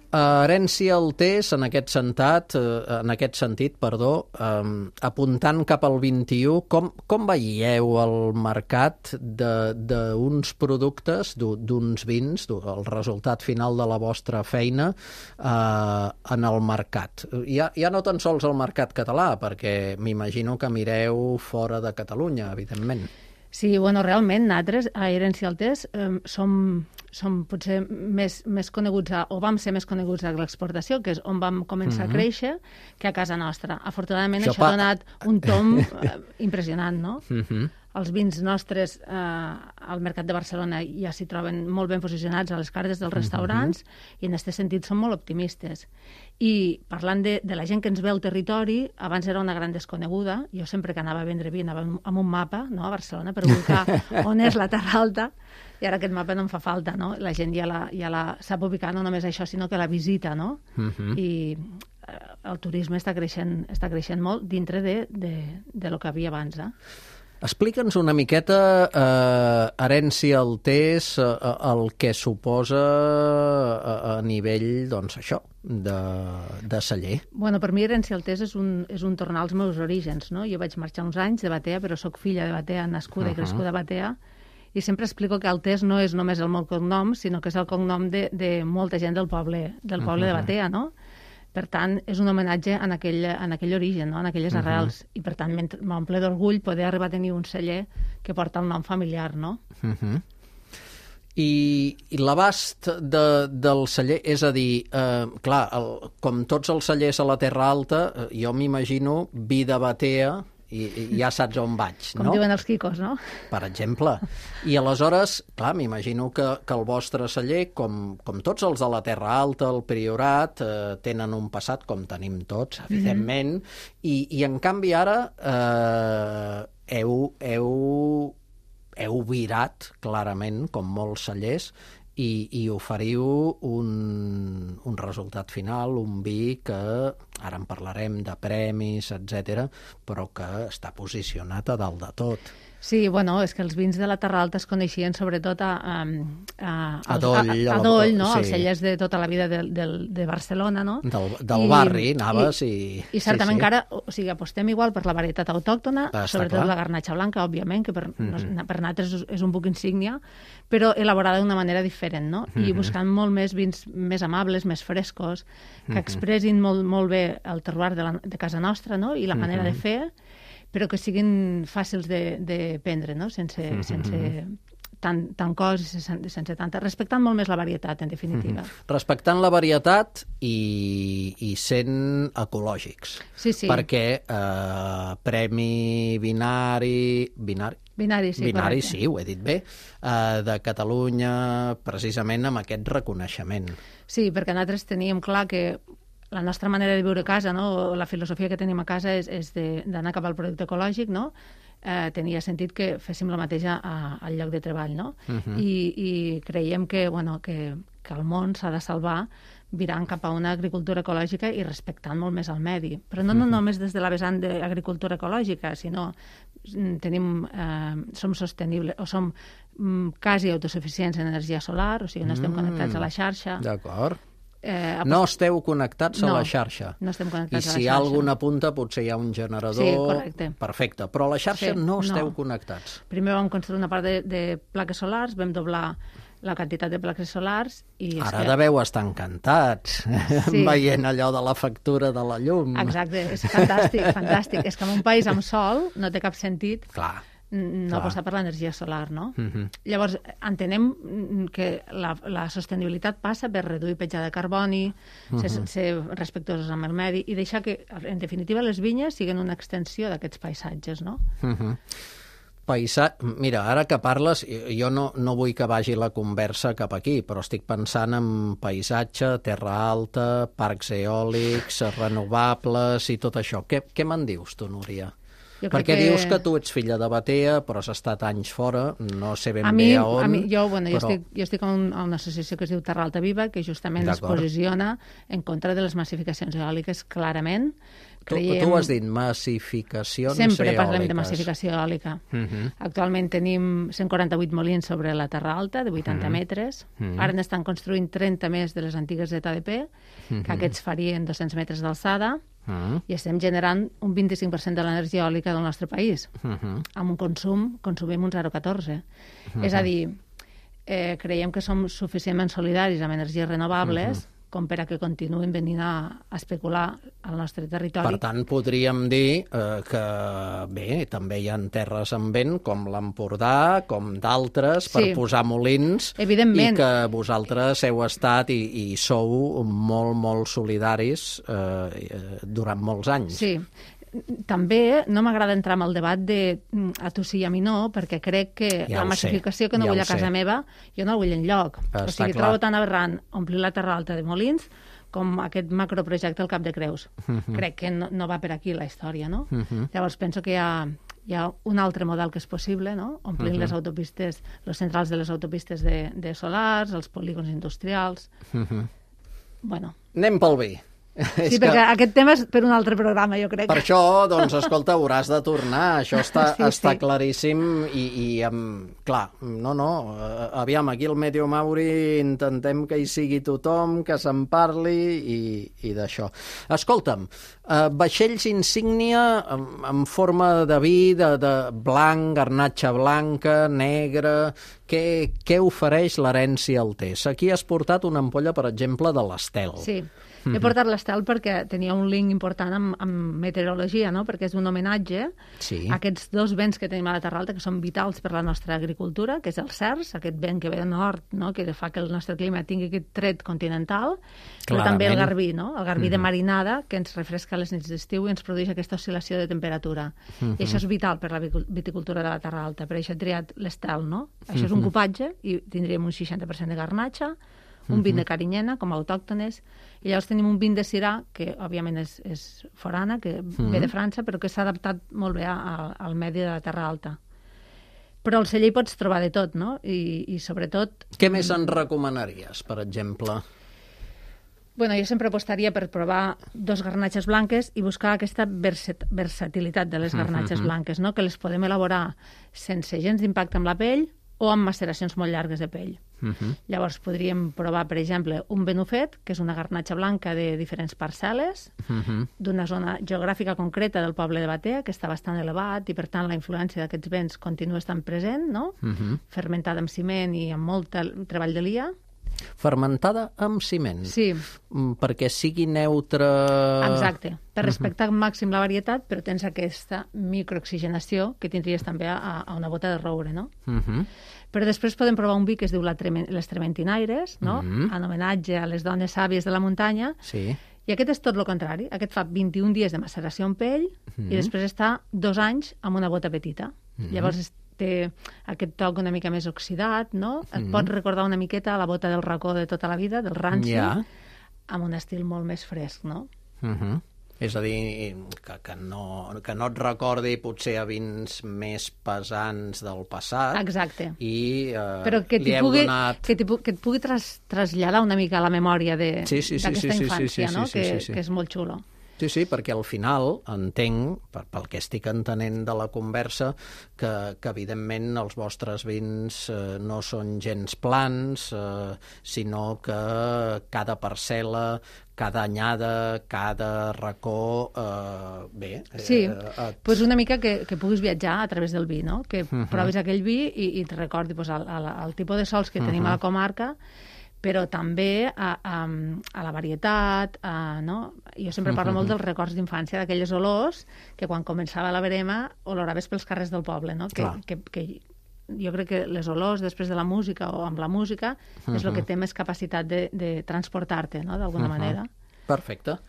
Herència Altés, en aquest sentit, en aquest sentit, perdó, eh, apuntant cap al vint-i-u, com, com veieu el mercat d'uns productes, d'uns vins, el resultat final de la vostra feina eh, en el mercat? Ja, ja no tan sols el mercat català, perquè m'imagino que mireu fora de Catalunya, evidentment. Sí, bueno, realment, nosaltres a Herència Altés eh, som, som potser més, més coneguts, a, o vam ser més coneguts a l'exportació, que és on vam començar uh-huh. a créixer, que a casa nostra. Afortunadament, això, això ha donat un tom eh, impressionant, no? Uh-huh. Els vins nostres eh, al mercat de Barcelona ja s'hi troben molt ben posicionats a les cartes dels restaurants uh-huh. i en aquest sentit som molt optimistes. I parlant de, de la gent que ens ve al territori, abans era una gran desconeguda, jo sempre que anava a vendre vi anava amb un mapa, no, a Barcelona per ubicar on és la Terra Alta, i ara aquest mapa no em fa falta, no? La gent ja la, ja la sap ubicar, no només això, sinó que la visita, no? Uh-huh. I eh, el turisme està creixent, està creixent molt dintre de, de, de lo que havia abans, eh? Explica'ns una miqueta, eh, Herència Altés, eh, el que suposa a, a nivell, doncs, això, de, de celler. Bueno, per mi Herència Altés és un, és un tornar als meus orígens, no? Jo vaig marxar uns anys de Batea, però sóc filla de Batea, nascuda uh-huh. i crescuda a Batea, i sempre explico que Altés no és només el meu cognom, sinó que és el cognom de, de molta gent del poble, del poble uh-huh. de Batea, no? Per tant, és un homenatge en aquell, en aquell origen, no? En aquelles uh-huh. arrels. I, per tant, m'omple d'orgull poder arribar a tenir un celler que porta el nom familiar, no? Uh-huh. I, i l'abast de, del celler, és a dir, eh, clar, el, com tots els cellers a la Terra Alta, eh, jo m'imagino vi de Batea, i, i ja saps on vaig, no? Com diuen els quicos, no? Per exemple. I aleshores, clar, m'imagino que, que el vostre celler, com, com tots els de la Terra Alta, el Priorat, eh, tenen un passat, com tenim tots, evidentment, mm-hmm. i, i en canvi ara eh, heu, heu, heu virat, clarament, com molts cellers, i, i oferiu un, un resultat final, un vi que, ara en parlarem de premis, etcètera, però que està posicionat a dalt de tot. Sí, bueno, és que els vins de la Terra Alta es coneixien sobretot a, a, a, a Doll, a, a, a Doll, no? Sí. Els cellers de tota la vida de, de, de Barcelona, no? Del, del I, barri, anaves i... I, i certament sí, sí. que ara, o sigui, apostem igual per la varietat autòctona, Està sobretot clar. La garnatxa blanca, òbviament, que per, mm-hmm. per nosaltres és, és un poc insígnia, però elaborada d'una manera diferent, no? Mm-hmm. I buscant molt més vins més amables, més frescos, que mm-hmm. expressin molt, molt bé el terroir de, la, de casa nostra, no? I la manera mm-hmm. de fer, però que siguin fàcils de, de prendre, no? Sense, mm-hmm. sense tant, tant cos, sense, sense tanta... Respectant molt més la varietat, en definitiva. Mm-hmm. Respectant la varietat i, i sent ecològics. Sí, sí. Perquè eh, Premi Vinari... Vinari? Vinari, sí, Vinari, correcte. sí, ho he dit bé, eh, de Catalunya, precisament amb aquest reconeixement. Sí, perquè nosaltres teníem clar que la nostra manera de viure a casa, no? La filosofia que tenim a casa és, és d'anar cap al producte ecològic, no? Eh, tenia sentit que féssim la mateixa a, al lloc de treball, no? Uh-huh. I, I creiem que, bueno, que, que el món s'ha de salvar virant cap a una agricultura ecològica i respectant molt més el medi. Però no, no només des de la vessant d'agricultura ecològica, sinó tenim, eh, som sostenibles, o som mm, quasi autosuficients en energia solar, o sigui, no estem connectats a la xarxa. D'acord. Eh, no esteu connectats no, a la xarxa. No estem connectats I a la xarxa. I si hi ha alguna punta, potser hi ha un generador... Sí, correcte. Perfecte, però a la xarxa sí, no esteu no. connectats. Primer vam construir una part de, de plaques solars, vam doblar la quantitat de plaques solars i... Ara que... deveu estar encantats, sí. veient allò de la factura de la llum. Exacte, és fantàstic, fantàstic. És que en un país amb sol no té cap sentit... Clar. no Clar. apostar per l'energia solar, no? Uh-huh. Llavors, entenem que la, la sostenibilitat passa per reduir petjada de carboni, uh-huh. ser, ser respectuosos amb el medi i deixar que, en definitiva, les vinyes siguin una extensió d'aquests paisatges, no? Uh-huh. paisatge... Mira, ara que parles, jo no, no vull que vagi la conversa cap aquí, però estic pensant en paisatge, terra alta, parcs eòlics, renovables i tot això. Què, què me'n dius tu, Núria? Jo Perquè que... dius que tu ets filla de Batea, però has estat anys fora, no sé ben a mi, bé a on... A mi, jo, bueno, però... jo estic, jo estic a, un, a una associació que es diu Terra Alta Viva, que justament es posiciona en contra de les massificacions eòliques, clarament. Creiem... Tu, tu has dit massificacions Sempre eòliques. parlem de massificació eòlica. Uh -huh. Actualment tenim cent quaranta-vuit molins sobre la Terra Alta, de vuitanta uh -huh. metres. Uh -huh. Ara n'estan construint trenta més de les antigues Z D P, uh -huh. que aquests farien dos-cents metres d'alçada. Uh-huh. I estem generant un vint-i-cinc per cent de l'energia eòlica del nostre país. Uh-huh. Amb un consum, consumim un zero coma catorze. Uh-huh. És a dir, eh, creiem que som suficientment solidaris amb energies renovables uh-huh. com per a que continuïn venint a, a especular al nostre territori. Per tant, podríem dir eh, que, bé, també hi ha terres amb vent, com l'Empordà, com d'altres, per sí. posar molins, evidentment. I que vosaltres heu estat i, i sou molt, molt solidaris eh, durant molts anys. Sí. També no m'agrada entrar en el debat de a tu sí i a mi no, perquè crec que ja la massificació sé. que no ja vull a casa sé. meva, jo no la vull enlloc. Està o sigui, clar. Trobo tan aberrant omplir la Terra Alta de molins com aquest macroprojecte al Cap de Creus. Uh-huh. Crec que no, no va per aquí la història, no? Uh-huh. Llavors penso que hi ha, hi ha un altre model que és possible, no? Omplint uh-huh. les autopistes, les centrals de les autopistes de, de solars, els polígons industrials... Uh-huh. Bueno. Anem pel vi. Sí, perquè que... aquest tema és per un altre programa, jo crec. Per això, doncs, escolta, hauràs de tornar. Això està, sí, està sí. claríssim i, i um, clar, no, no, aviam, aquí al Meteo Mauri intentem que hi sigui tothom, que se'n parli i, i d'això. Escolta'm, uh, vaixells insígnia en, en forma de vi, de, de blanc, garnatxa blanca, negra... Què, què ofereix l'herència al Tes? Aquí has portat una ampolla, per exemple, de l'Estel. Sí. He portat l'Estel perquè tenia un link important amb, amb meteorologia, no? Perquè és un homenatge sí. a aquests dos vents que tenim a la Terra Alta, que són vitals per la nostra agricultura, que és el cerç, aquest vent que ve de nord, no? Que fa que el nostre clima tingui aquest tret continental, Clarament. però també el garbí, no? El garbí mm-hmm. de marinada, que ens refresca les nits d'estiu i ens produeix aquesta oscil·lació de temperatura. Mm-hmm. I això és vital per la viticultura de la Terra Alta, per això he triat l'Estel, no? Això mm-hmm. és un cupatge i tindríem un seixanta per cent de garnatxa, un vint de carinyena, com a autòctones, i llavors tenim un vint de Syrah, que òbviament és, és forana, que mm-hmm. ve de França, però que s'ha adaptat molt bé a, al medi de la Terra Alta. Però al celler hi pots trobar de tot, no? I, i sobretot... Què més en recomanaries, per exemple? Bueno, jo sempre apostaria per provar dos garnatxes blanques i buscar aquesta versat versatilitat de les garnatxes mm-hmm. blanques, no? Que les podem elaborar sense gens d'impacte amb la pell o amb maceracions molt llargues de pell. Uh-huh. Llavors podríem provar, per exemple, un benufet, que és una garnatxa blanca de diferents parcel·les, uh-huh. d'una zona geogràfica concreta del poble de Batea, que està bastant elevat, i per tant la influència d'aquests vents continua estant present, no? Uh-huh. Fermentada amb ciment i amb molt treball de lia. Fermentada amb ciment? Sí. Perquè sigui neutre... Exacte. Per respectar al màxim la varietat, però tens aquesta microoxigenació que tindries també a, a una bota de roure, no? Uh-huh. Però després podem provar un vi que es diu la Tremen les Trementinaires, no? Uh-huh. En homenatge a les dones sàvies de la muntanya. Sí. I aquest és tot el contrari. Aquest fa vint-i-un dies de maceració en pell uh-huh. i després està dos anys amb una bota petita. Uh-huh. Llavors té aquest toc una mica més oxidat, no? Et uh-huh. pot recordar una miqueta a la bota del racó de tota la vida, del ranci, yeah. amb un estil molt més fresc, no? Uh-huh. És a dir, que, que, no, que no et recordi potser a vins més pesants del passat. Exacte. I eh, Però que li heu pugui, donat... Que, que et pugui tras, traslladar una mica a la memòria d'aquesta sí, sí, sí, sí, infància, sí, sí, no? Sí, sí, que, sí, sí. que és molt xulo. Sí, sí, perquè al final entenc, per, pel que estic entenent de la conversa, que, que evidentment els vostres vins eh, no són gens plans, eh, sinó que cada parcel·la, cada anyada, cada racó, eh, bé... Sí, eh, et... pues una mica que, que puguis viatjar a través del vi, no? Que uh-huh. provis aquell vi i, i et recordi pues, el, el, el tipus de sols que uh-huh. tenim a la comarca, però també a, a, a la varietat, a, no? Jo sempre parlo uh-huh. molt dels records d'infància, d'aquelles olors que quan començava la verema oloraves pels carrers del poble, no? Que, que, que jo crec que les olors després de la música o amb la música uh-huh. és el que té més capacitat de, de transportar-te, no? D'alguna uh-huh. manera. Perfecte.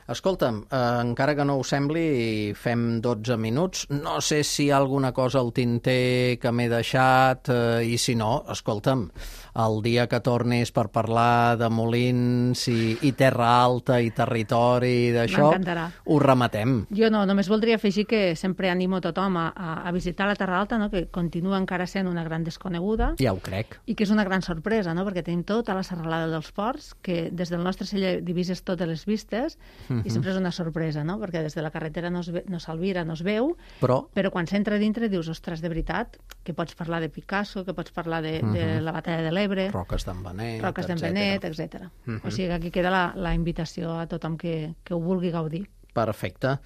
Escolta'm, eh, encara que no us sembli, fem dotze minuts. No sé si hi ha alguna cosa al tinter que m'he deixat, eh, i si no, escolta'm, el dia que tornis per parlar de molins i, i terra alta i territori d'això, ho rematem. Jo no, només voldria afegir que sempre animo tothom a, a visitar la Terra Alta, no? Que continua encara sent una gran desconeguda. Ja ho crec. I que és una gran sorpresa, no? Perquè tenim tota la serralada dels Ports, que des del nostre celler divises totes les vistes, uh-huh. i sempre és una sorpresa, no? Perquè des de la carretera no, es ve, no s'alvira, no es veu, però, però quan s'entra dintre dius, ostres, de veritat, que pots parlar de Picasso, que pots parlar de, uh-huh. de la batalla de l'Ebre, Roques d'en Benet, Roques d'en Benet, etcètera. Uh-huh. O sigui que aquí queda la, la invitació a tothom que, que ho vulgui gaudir. Perfecte.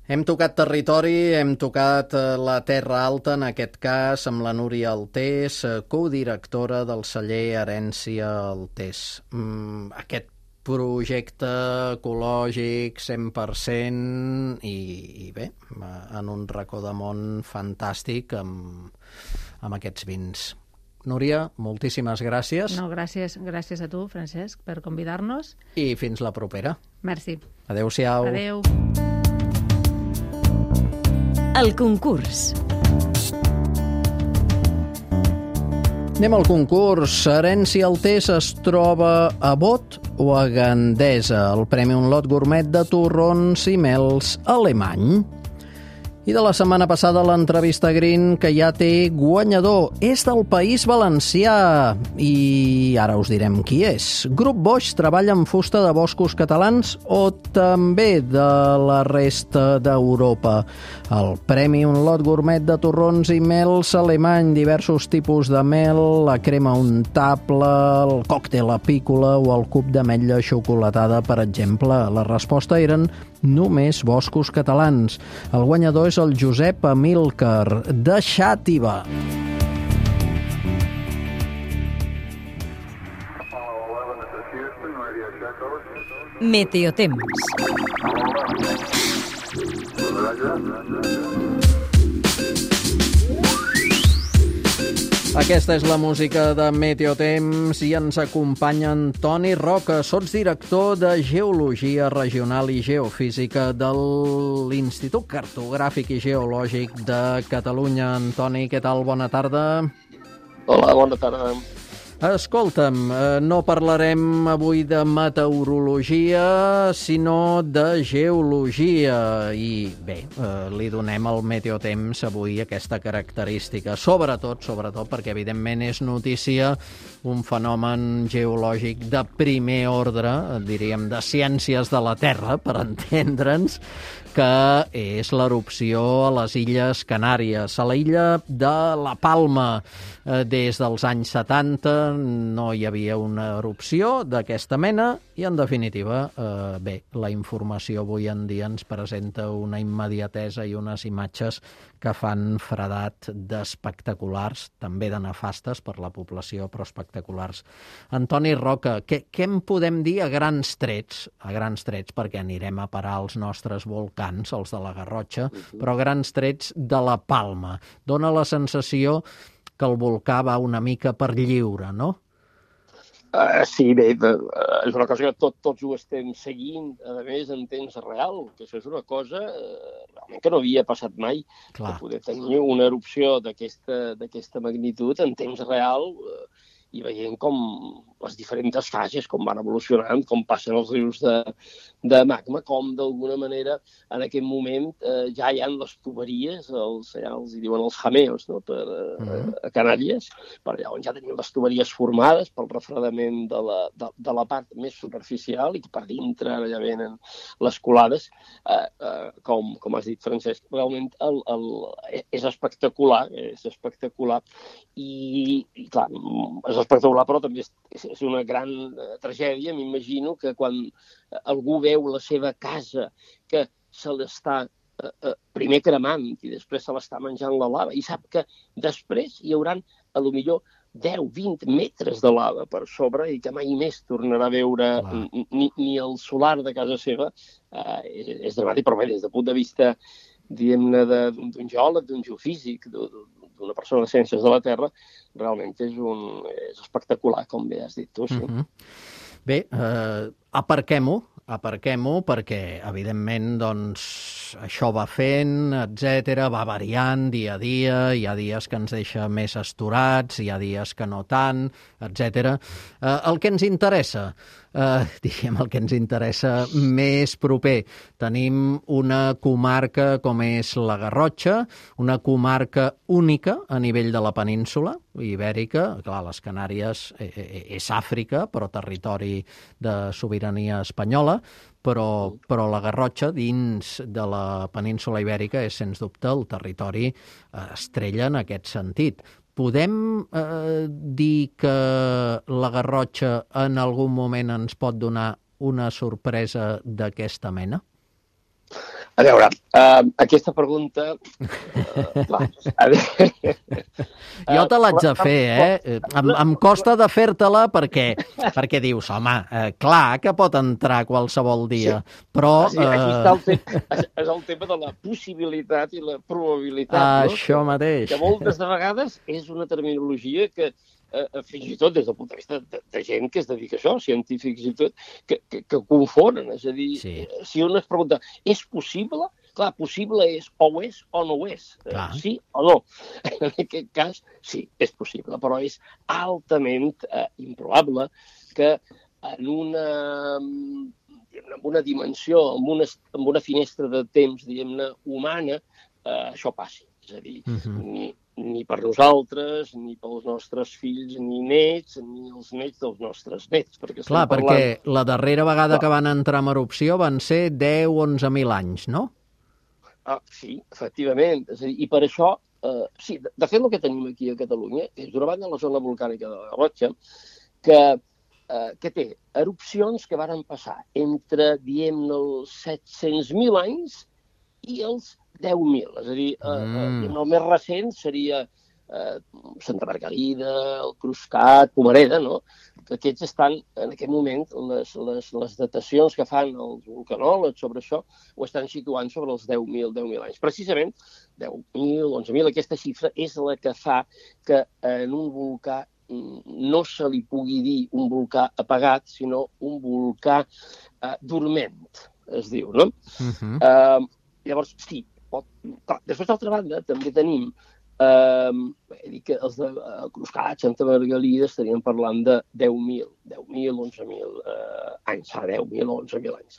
Hem tocat territori, hem tocat la Terra Alta, en aquest cas, amb la Núria Altés, codirectora del celler Herència Altés. Mm, aquest projecte ecològic cent per cent i, i bé, en un racó de món fantàstic amb, amb aquests vins. Núria, moltíssimes gràcies. No, gràcies, gràcies a tu, Francesc, per convidar-nos. I fins la propera. Merci. Adéu-siau. Adéu. El concurs. Anem al concurs. Herència Altés es troba a Bot o a Gandesa? El Premi Un Lot Gourmet de torrons i mels alemany. I de la setmana passada l'entrevista Green, que ja té guanyador. És del País Valencià i ara us direm qui és. Grup Boix treballa en fusta de boscos catalans o també de la resta d'Europa. El Premi Un Lot Gourmet de torrons i mels alemany, diversos tipus de mel, la crema untable, el còctel apícola o el cub d'ametlla xocolatada, per exemple. La resposta eren només boscos catalans. El guanyador és el Josep Amílcar, de Xàtiva. Meteotemps. Aquesta és la música de Meteotemps i ens acompanya Antoni Roca, sotsdirector de Geologia Regional i Geofísica de l'Institut Cartogràfic i Geològic de Catalunya. Antoni, què tal? Bona tarda. Hola, bona tarda. Escolta'm, no parlarem avui de meteorologia, sinó de geologia. I bé, li donem al Meteotemps avui aquesta característica. Sobretot, sobretot, perquè evidentment és notícia un fenomen geològic de primer ordre, diríem de ciències de la Terra, per entendre'ns, que és l'erupció a les Illes Canàries. A la illa de La Palma, des dels anys setanta, no hi havia una erupció d'aquesta mena i, en definitiva, eh, bé, la informació avui en dia ens presenta una immediatesa i unes imatges que fan fredat d'espectaculars, també de nefastes per la població, però espectaculars. Antoni Roca, què, què en podem dir a grans trets? A grans trets, perquè anirem a parar als nostres volcans, els de la Garrotxa, però a grans trets de La Palma. Dóna la sensació que el volcà va una mica per lliure, no? Uh, sí, bé, uh, és una cosa que tot, tots ho estem seguint, a més, en temps real, que això és una cosa uh, realment que no havia passat mai. Clar. De poder tenir una erupció d'aquesta magnitud en temps real uh, i veient com les diferents fases, com van evolucionant, com passen els rius de, de magma, com d'alguna manera en aquest moment eh, ja hi ha les tuberies, els, ja els hi diuen els jameos, no? per, eh, a Canàries, per allà on ja tenim les tuberies formades pel refredament de la, de, de la part més superficial i que per dintre ja venen les colades, eh, eh, com, com has dit, Francesc, realment el, el, és espectacular, és espectacular i, i clar, és espectacular, però també és, és una gran uh, tragèdia. M'imagino que quan uh, algú veu la seva casa que se l'està uh, uh, primer cremant i després se l'està menjant la lava i sap que després hi hauran a lo millor deu vint metres de lava per sobre i que mai més tornarà a veure ni, ni el solar de casa seva, uh, és, és dramàtic, però bé, des del punt de vista diguem-ne d'un geòleg, d'un geofísic, d'una persona de ciències de la Terra, realment és, un, és espectacular, com bé has dit tu. Sí. Uh-huh. Bé, eh, aparquem-ho, aparquem-ho, perquè, evidentment, doncs, això va fent, etcètera, va variant dia a dia, hi ha dies que ens deixa més astorats, hi ha dies que no tant, etcètera. Eh, el que ens interessa, eh, diríem el que ens interessa més proper, tenim una comarca com és la Garrotxa, una comarca única a nivell de la península ibèrica, clar, les Canàries és Àfrica, però territori de sobirania espanyola, però, però la Garrotxa, dins de la península ibèrica, és, sens dubte, el territori estrella en aquest sentit. Podem eh, dir que la Garrotxa en algun moment ens pot donar una sorpresa d'aquesta mena? A veure, uh, aquesta pregunta... Uh, va, a veure... Jo te l'haig de fer, eh? Em, em costa de fer-te-la perquè, perquè dius, home, eh, clar que pot entrar qualsevol dia, sí. Però... Sí, aquí està el tema, és, és el tema de la possibilitat i la probabilitat, Això no? mateix. Que moltes de vegades és una terminologia que Uh, fins i tot des del punt de vista de, de gent que es dedica a això, científics i tot, que, que, que confonen. És a dir, sí. Si un es pregunta, és possible? Clar, possible és o ho és o no ho és. Uh, sí o no. En aquest cas, sí, és possible, però és altament uh, improbable que en una, en una dimensió, en una, en una finestra de temps, diguem-ne, humana, uh, això passi. És a dir, uh-huh. ni, ni per nosaltres, ni pels nostres fills, ni nets, ni els nets dels nostres nets. Perquè Clar, parlant... perquè la darrera vegada Clar. que van entrar en erupció van ser deu o onze mil anys, no? Ah, sí, efectivament. És a dir, i per això, eh, sí, de, de fet el que tenim aquí a Catalunya és d'una banda la zona volcànica de la Garrotxa, que, eh, que té erupcions que varen passar entre, diem-ne, els set-cents mil anys i els deu mil. És a dir, mm. eh, el més recent seria eh, Santa Margalida, el Cruscat, Pomareda, no? Que aquests estan, en aquest moment, les, les, les datacions que fan els vulcanòlegs sobre això ho estan situant sobre els deu mil anys. Precisament, deu mil, onze mil, aquesta xifra és la que fa que en un volcà no se li pugui dir un volcà apagat, sinó un volcà eh, dorment, es diu, no? Uh-huh. Eh, llavors, sí, pot... Clar, després, d'altra banda, també tenim eh, he dit que els de eh, Cruscat, Santa Margalida, estaríem parlant de deu mil, deu mil, onze mil eh, anys, fa deu mil, onze mil anys.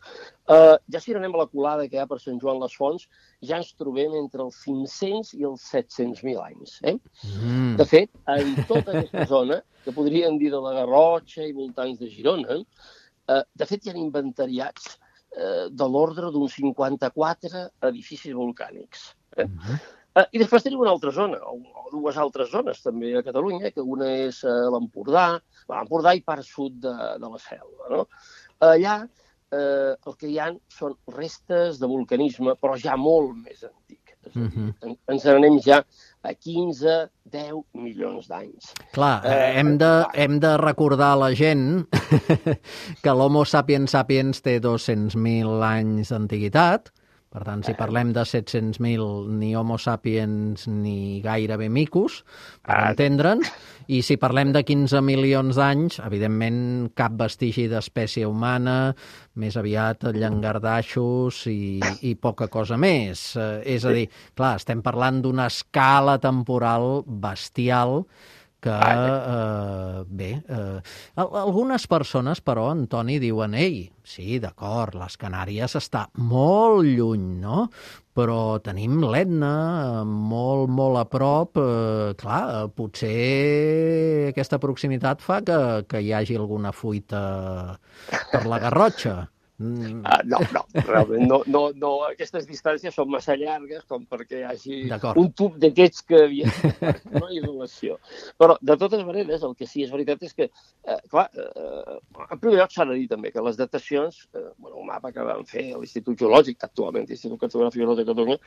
Eh, ja si anem a la colada que hi ha per Sant Joan les Fonts, ja ens trobem entre els cinc-cents i els set-cents mil anys. Eh? Mm. De fet, en tota aquesta zona, que podríem dir de la Garrotxa i voltants de Girona, eh, de fet hi ha inventariats de l'ordre d'uns cinquanta-quatre edificis volcànics. Eh? Uh-huh. eh, I després tenim una altra zona, o, o dues altres zones també a Catalunya, que una és eh, l'Empordà, l'Empordà i part sud de, de la Selva. No? Allà eh, el que hi ha són restes de vulcanisme, però ja molt més antic. Uh-huh. en, ens n'anem ja a quinze, deu milions d'anys. Clar, eh, hem, de, hem de recordar a la gent que l'Homo sapiens sapiens té dos-cents mil anys d'antiguitat. Per tant, si parlem de set-cents mil, ni Homo sapiens ni gairebé micos, per entendre'ns. I si parlem de quinze milions d'anys, evidentment cap vestigi d'espècie humana, més aviat llangardaixos i, i poca cosa més. Eh, és a dir, clar, estem parlant d'una escala temporal bestial que, eh, bé, eh, algunes persones, però, Antoni, diuen, ei, sí, d'acord, les Canàries està molt lluny, no? Però tenim l'Etna molt, molt a prop. Eh, clar, potser aquesta proximitat fa que, que hi hagi alguna fuita per la Garrotxa. Mm. Uh, no, no, realment no, no, no. Aquestes distàncies són massa llargues com perquè hi hagi un tub d'aquests que havia no hi ha relació. Però, de totes maneres, el que sí és veritat és que, eh, clar, eh, en primer lloc s'ha de dir també que les datacions, eh, bueno, un mapa que van fer a l'Institut Geològic, actualment l'Institut Cartogràfic de Catalunya,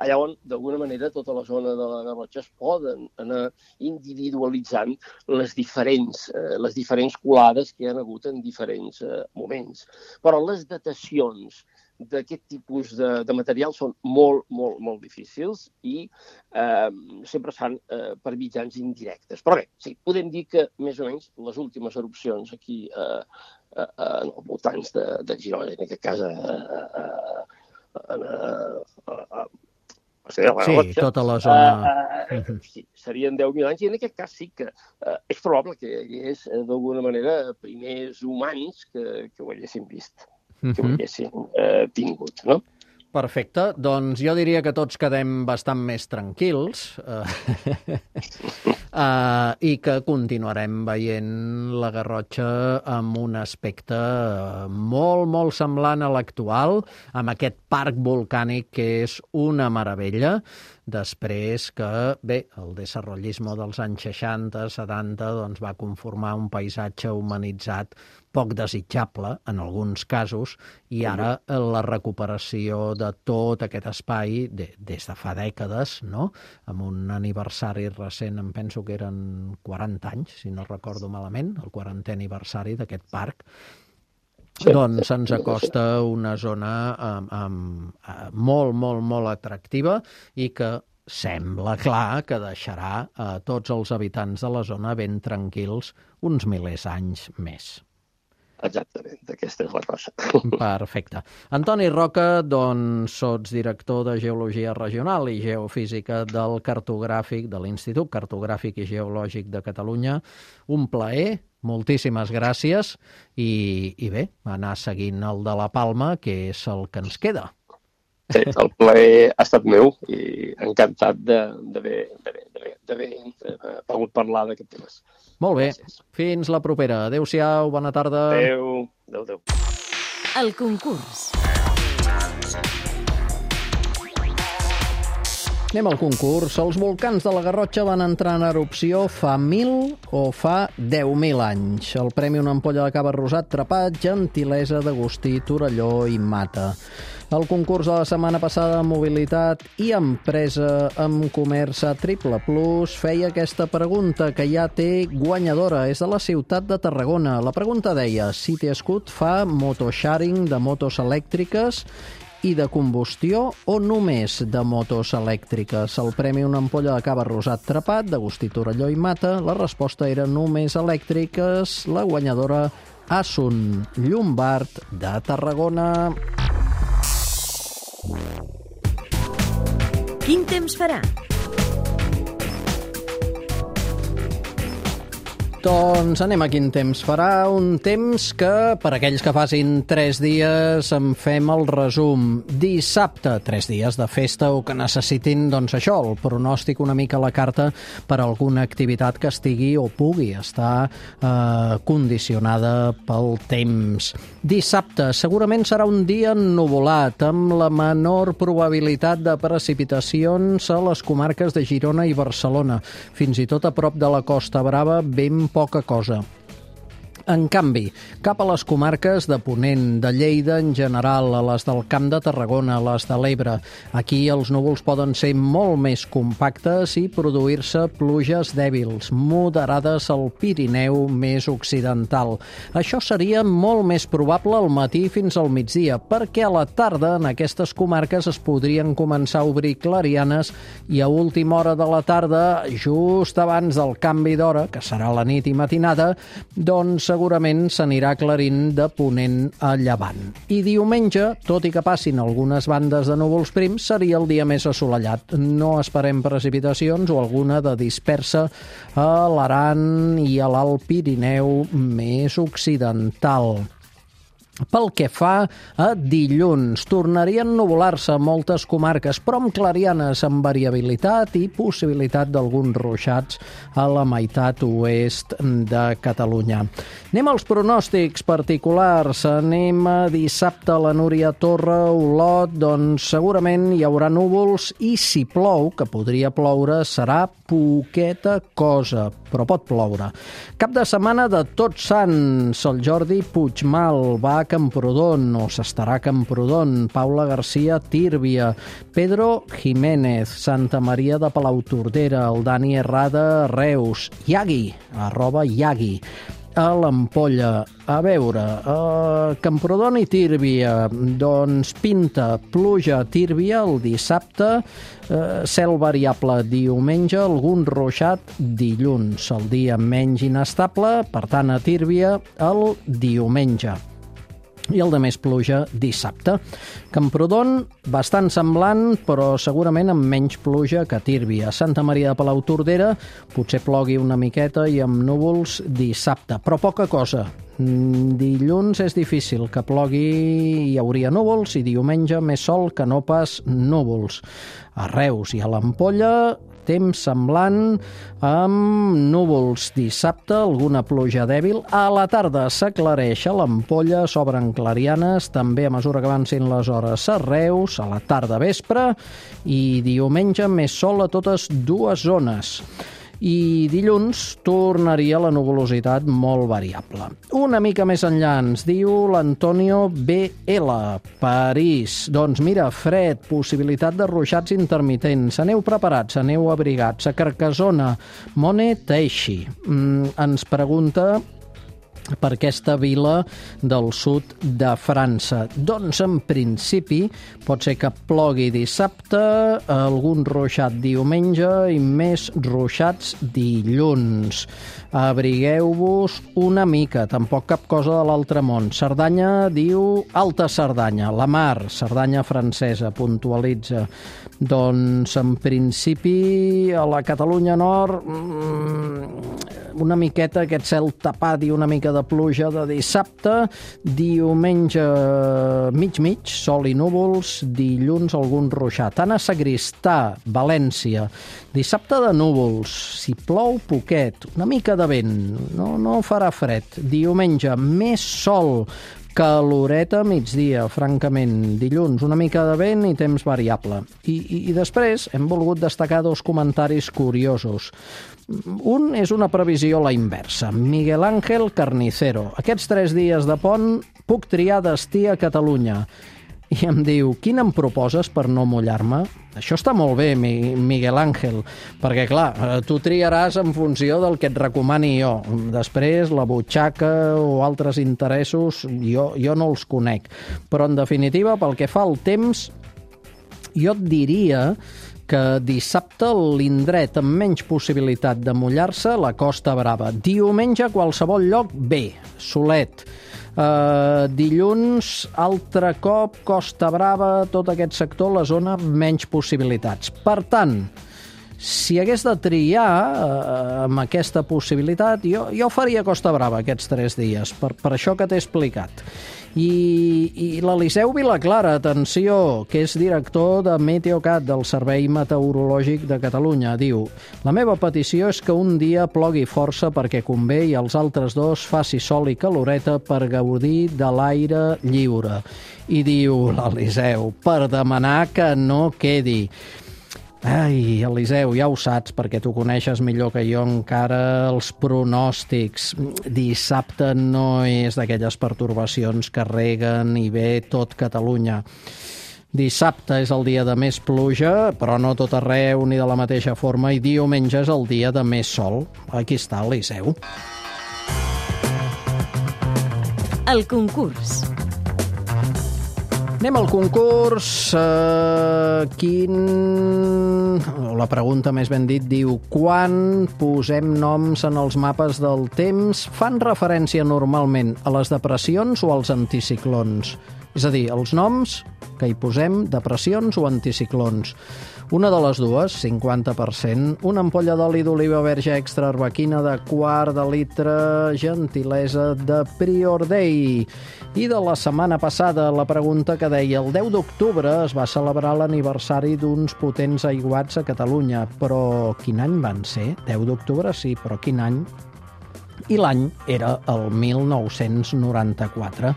allà on, d'alguna manera, tota la zona de la Garrotxa es poden anar individualitzant les diferents, eh, les diferents colades que hi ha hagut en diferents eh, moments. Però les datacions d'aquest tipus de, de material són molt, molt, molt difícils i eh, sempre es fan eh, per mitjans indirectes. Però bé, sí, podem dir que més o menys les últimes erupcions aquí eh, eh, en els voltants de, de Girona, en aquest cas a, a, a, a, a, a Sí, Garrotxa, tota la zona... Uh, uh, sí, serien deu mil anys, i en aquest cas sí que uh, és probable que hi hagués, uh, d'alguna manera, primers humans que, que ho haguessin vist, uh-huh. que ho haguessin uh, tingut, no? Perfecte. Doncs jo diria que tots quedem bastant més tranquils eh, uh, i que continuarem veient la Garrotxa amb un aspecte molt, molt semblant a l'actual, amb aquest parc volcànic que és una meravella, després que, bé, el desenvolupisme dels anys seixanta, setanta, doncs va conformar un paisatge humanitzat poc desitjable, en alguns casos, i ara la recuperació de tot aquest espai, de, des de fa dècades, no? Amb un aniversari recent, em penso que eren quaranta anys, si no recordo malament, el quarantè aniversari d'aquest parc, sí, doncs se'ns acosta una zona um, um, molt, molt, molt atractiva i que sembla clar que deixarà a tots els habitants de la zona ben tranquils uns milers anys més. Exactament, aquesta és la cosa. Perfecte. Antoni Roca, doncs, sots director de Geologia Regional i Geofísica del Cartogràfic, de l'Institut Cartogràfic i Geològic de Catalunya. Un plaer, moltíssimes gràcies, i, i bé, anar seguint el de la Palma, que és el que ens queda. Sí, el plaer ha estat meu i encantat d'haver pogut parlar d'aquests temes. Molt bé. Gràcies. Fins la propera. Adéu-siau, bona tarda. Adéu. Adéu, adéu. El concurs. Anem al concurs. Els volcans de la Garrotxa van entrar en erupció fa mil o fa deu mil anys. El premi una ampolla de cava rosat Trepat, gentilesa d'Agustí Torelló i Mata. El concurs de la setmana passada, Mobilitat i Empresa amb Comerç a Triple Plus, feia aquesta pregunta que ja té guanyadora. És de la ciutat de Tarragona. La pregunta deia: City Scoot fa motosharing de motos elèctriques i de combustió o només de motos elèctriques? El premi una ampolla de cava rosat Trepat d'Agustí Torelló i Mata. La resposta era només elèctriques. La guanyadora, Asun Llombard de Tarragona. Quin temps farà? Doncs anem a quin temps farà. Un temps que, per aquells que facin tres dies, en fem el resum. Dissabte, tres dies de festa o que necessitin, doncs això, el pronòstic una mica a la carta per a alguna activitat que estigui o pugui estar eh, condicionada pel temps. Dissabte, segurament serà un dia ennuvolat, amb la menor probabilitat de precipitacions a les comarques de Girona i Barcelona. Fins i tot a prop de la Costa Brava, ben poca cosa. En canvi, cap a les comarques de Ponent, de Lleida en general, a les del Camp de Tarragona, a les de l'Ebre, aquí els núvols poden ser molt més compactes i produir-se pluges dèbils, moderades al Pirineu més occidental. Això seria molt més probable al matí fins al migdia, perquè a la tarda en aquestes comarques es podrien començar a obrir clarianes i a última hora de la tarda, just abans del canvi d'hora, que serà la nit i matinada, doncs segurament s'anirà aclarint de ponent a llevant. I diumenge, tot i que passin algunes bandes de núvols prims, seria el dia més assolellat. No esperem precipitacions o alguna de dispersa a l'Aran i a l'Alt Pirineu més occidental. Pel que fa a dilluns, tornarien a nuvolar-se moltes comarques, però amb clarianes amb variabilitat i possibilitat d'alguns ruixats a la meitat oest de Catalunya. Anem als pronòstics particulars. Anem a dissabte a la Núria Torre, Olot, doncs segurament hi haurà núvols i si plou, que podria ploure, serà poqueta cosa, però pot ploure. Cap de setmana de Tots Sants, el Jordi Puigmal va a Camprodon, o s'estarà a Camprodon, Paula Garcia Tírvia, Pedro Jiménez, Santa Maria de Palautordera, el Dani Herrada Reus, Iagui, arroba Iagui, a l'Ampolla. A veure, a Camprodon i Tírvia, doncs pinta pluja a Tírvia el dissabte, eh, cel variable diumenge, algun ruixat dilluns, el dia menys inestable, per tant a Tírvia el diumenge. I el de més pluja dissabte. Camprodon, bastant semblant, però segurament amb menys pluja que Tírvia. Santa Maria de Palautordera potser plogui una miqueta i amb núvols dissabte, però poca cosa. Dilluns és difícil que plogui, hi hauria núvols, i diumenge més sol que no pas núvols. A Reus i a l'Ampolla, temps semblant, amb núvols dissabte, alguna pluja dèbil. A la tarda s'aclareix a l'Ampolla, s'obren clarianes, també a mesura que avancin les hores a Reus, a la tarda vespre, i diumenge més sol a totes dues zones. I dilluns tornaria la nuvolositat molt variable. Una mica més enllà ens diu l'Antonio B L, París. Doncs mira, fred, possibilitat de ruixats intermitents. Aneu preparats, aneu abrigats. A Carcassona, Mone Teixi mm, ens pregunta per aquesta vila del sud de França. Doncs, en principi, pot ser que plogui dissabte, algun ruixat diumenge i més ruixats dilluns. Abrigueu-vos una mica, tampoc cap cosa de l'altre món. Cerdanya diu Alta Cerdanya, la mar, Cerdanya francesa, puntualitza. Doncs, en principi, a la Catalunya Nord, una miqueta aquest cel tapat i una mica de pluja de dissabte, diumenge mig-mig, sol i núvols, dilluns algun ruixat. Anna Sagristà, València, dissabte de núvols, si plou poquet, una mica de vent, no, no farà fred. Diumenge més sol, caloreta migdia, francament. Dilluns una mica de vent i temps variable. I, i, i després hem volgut destacar dos comentaris curiosos. Un és una previsió a la inversa. Miguel Ángel Carnicero. Aquests tres dies de pont puc triar destí a Catalunya. I em diu, quin em proposes per no mullar-me? Això està molt bé, Miguel Ángel, perquè, clar, tu triaràs en funció del que et recomani jo. Després, la butxaca o altres interessos, jo, jo no els conec. Però, en definitiva, pel que fa al temps, jo et diria que dissabte l'indret amb menys possibilitat de mullar-se, la Costa Brava. Diumenge, a qualsevol lloc, bé, solet. Uh, dilluns, altre cop, Costa Brava, tot aquest sector, la zona, menys possibilitats. Per tant, si hagués de triar uh, amb aquesta possibilitat, jo, jo faria Costa Brava aquests tres dies, per, per això que t'he explicat. I, i l'Eliseu Vilaclara, atenció, que és director de Meteocat, del Servei Meteorològic de Catalunya, diu: la meva petició és que un dia plogui força perquè convé i els altres dos faci sol i caloreta per gaudir de l'aire lliure. I diu l'Eliseu, per demanar que no quedi. Ai, Eliseu, ja ho saps, perquè tu coneixes millor que jo encara els pronòstics. Dissabte no és d'aquelles pertorbacions que reguen i ve tot Catalunya. Dissabte és el dia de més pluja, però no tot arreu ni de la mateixa forma, i diumenge és el dia de més sol. Aquí està, Eliseu. El concurs. Anem al concurs. Uh, quin... La pregunta, més ben dit, diu: quan posem noms en els mapes del temps fan referència normalment a les depressions o als anticiclons? És a dir, els noms que hi posem, depressions o anticiclons. Una de les dues, cinquanta per cent, una ampolla d'oli d'oliva verge extra arbequina de quart de litre, gentilesa de Prior Day. I de la setmana passada, la pregunta que deia: el deu d'octubre es va celebrar l'aniversari d'uns potents aiguats a Catalunya, però quin any van ser? deu d'octubre sí, però quin any? I l'any era el mil nou-cents noranta-quatre.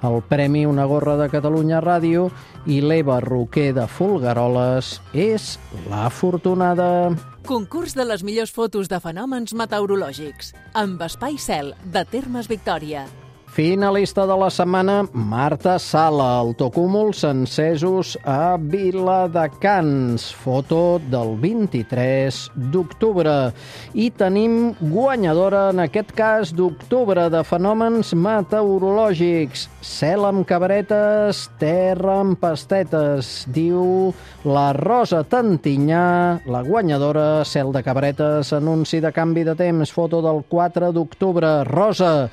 El premi Una gorra de Catalunya Ràdio i l'Eva Roquer de Folgueroles és l'afortunada. Concurs de les millors fotos de fenòmens meteorològics amb Espai Cel de Termes Victòria. Finalista de la setmana, Marta Sala, autocúmuls encesos a Viladecans, foto del vint-i-tres d'octubre. I tenim guanyadora, en aquest cas d'octubre, de fenòmens meteorològics. Cel amb cabretes, terra amb pastetes, diu la Rosa Tantinyà, la guanyadora, cel de cabretes, anunci de canvi de temps, foto del quatre d'octubre. Rosa,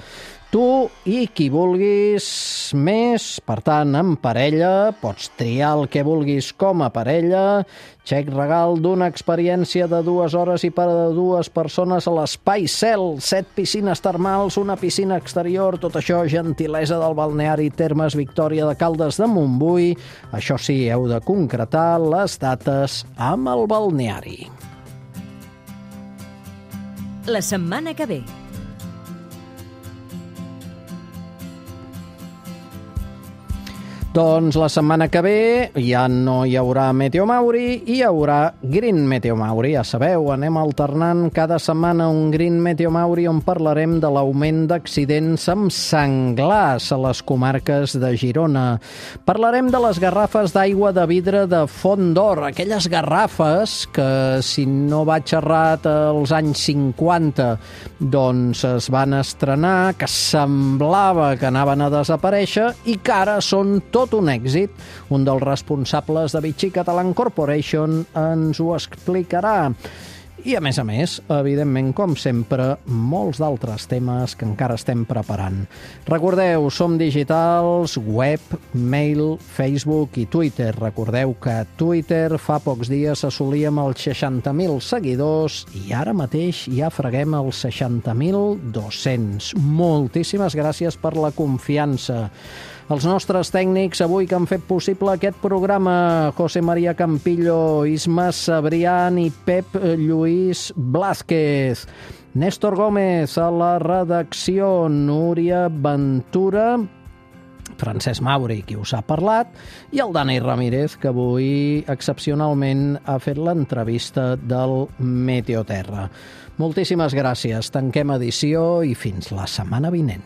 tu i qui vulguis més, per tant, en parella, pots triar el que vulguis com a parella, xec regal d'una experiència de dues hores i per a dues persones a l'Espai Cel, set piscines termals, una piscina exterior, tot això gentilesa del balneari Termes Victòria de Caldes de Montbui. Això sí, heu de concretar les dates amb el balneari. La setmana que ve. Doncs la setmana que ve ja no hi haurà Meteo Mauri, hi haurà Green Meteo Mauri. Ja sabeu, anem alternant cada setmana un Green Meteo Mauri on parlarem de l'augment d'accidents amb senglars a les comarques de Girona. Parlarem de les garrafes d'aigua de vidre de Font d'Or, aquelles garrafes que, si no vaig errat, als anys cinquanta doncs es van estrenar, que semblava que anaven a desaparèixer i que ara són tot un èxit. Un dels responsables de Vichy Catalan Corporation ens ho explicarà. I, a més a més, evidentment, com sempre, molts d'altres temes que encara estem preparant. Recordeu, som digitals, web, mail, Facebook i Twitter. Recordeu que a Twitter fa pocs dies assolíem els seixanta mil seguidors i ara mateix ja freguem els seixanta mil dos-cents. Moltíssimes gràcies per la confiança. Els nostres tècnics avui que han fet possible aquest programa, José María Campillo, Isma Sabrián i Pep Lluís Blázquez. Néstor Gómez a la redacció, Núria Ventura, Francesc Mauri, qui us ha parlat, i el Dani Ramírez, que avui excepcionalment ha fet l'entrevista del Meteoterra. Moltíssimes gràcies, tanquem edició i fins la setmana vinent.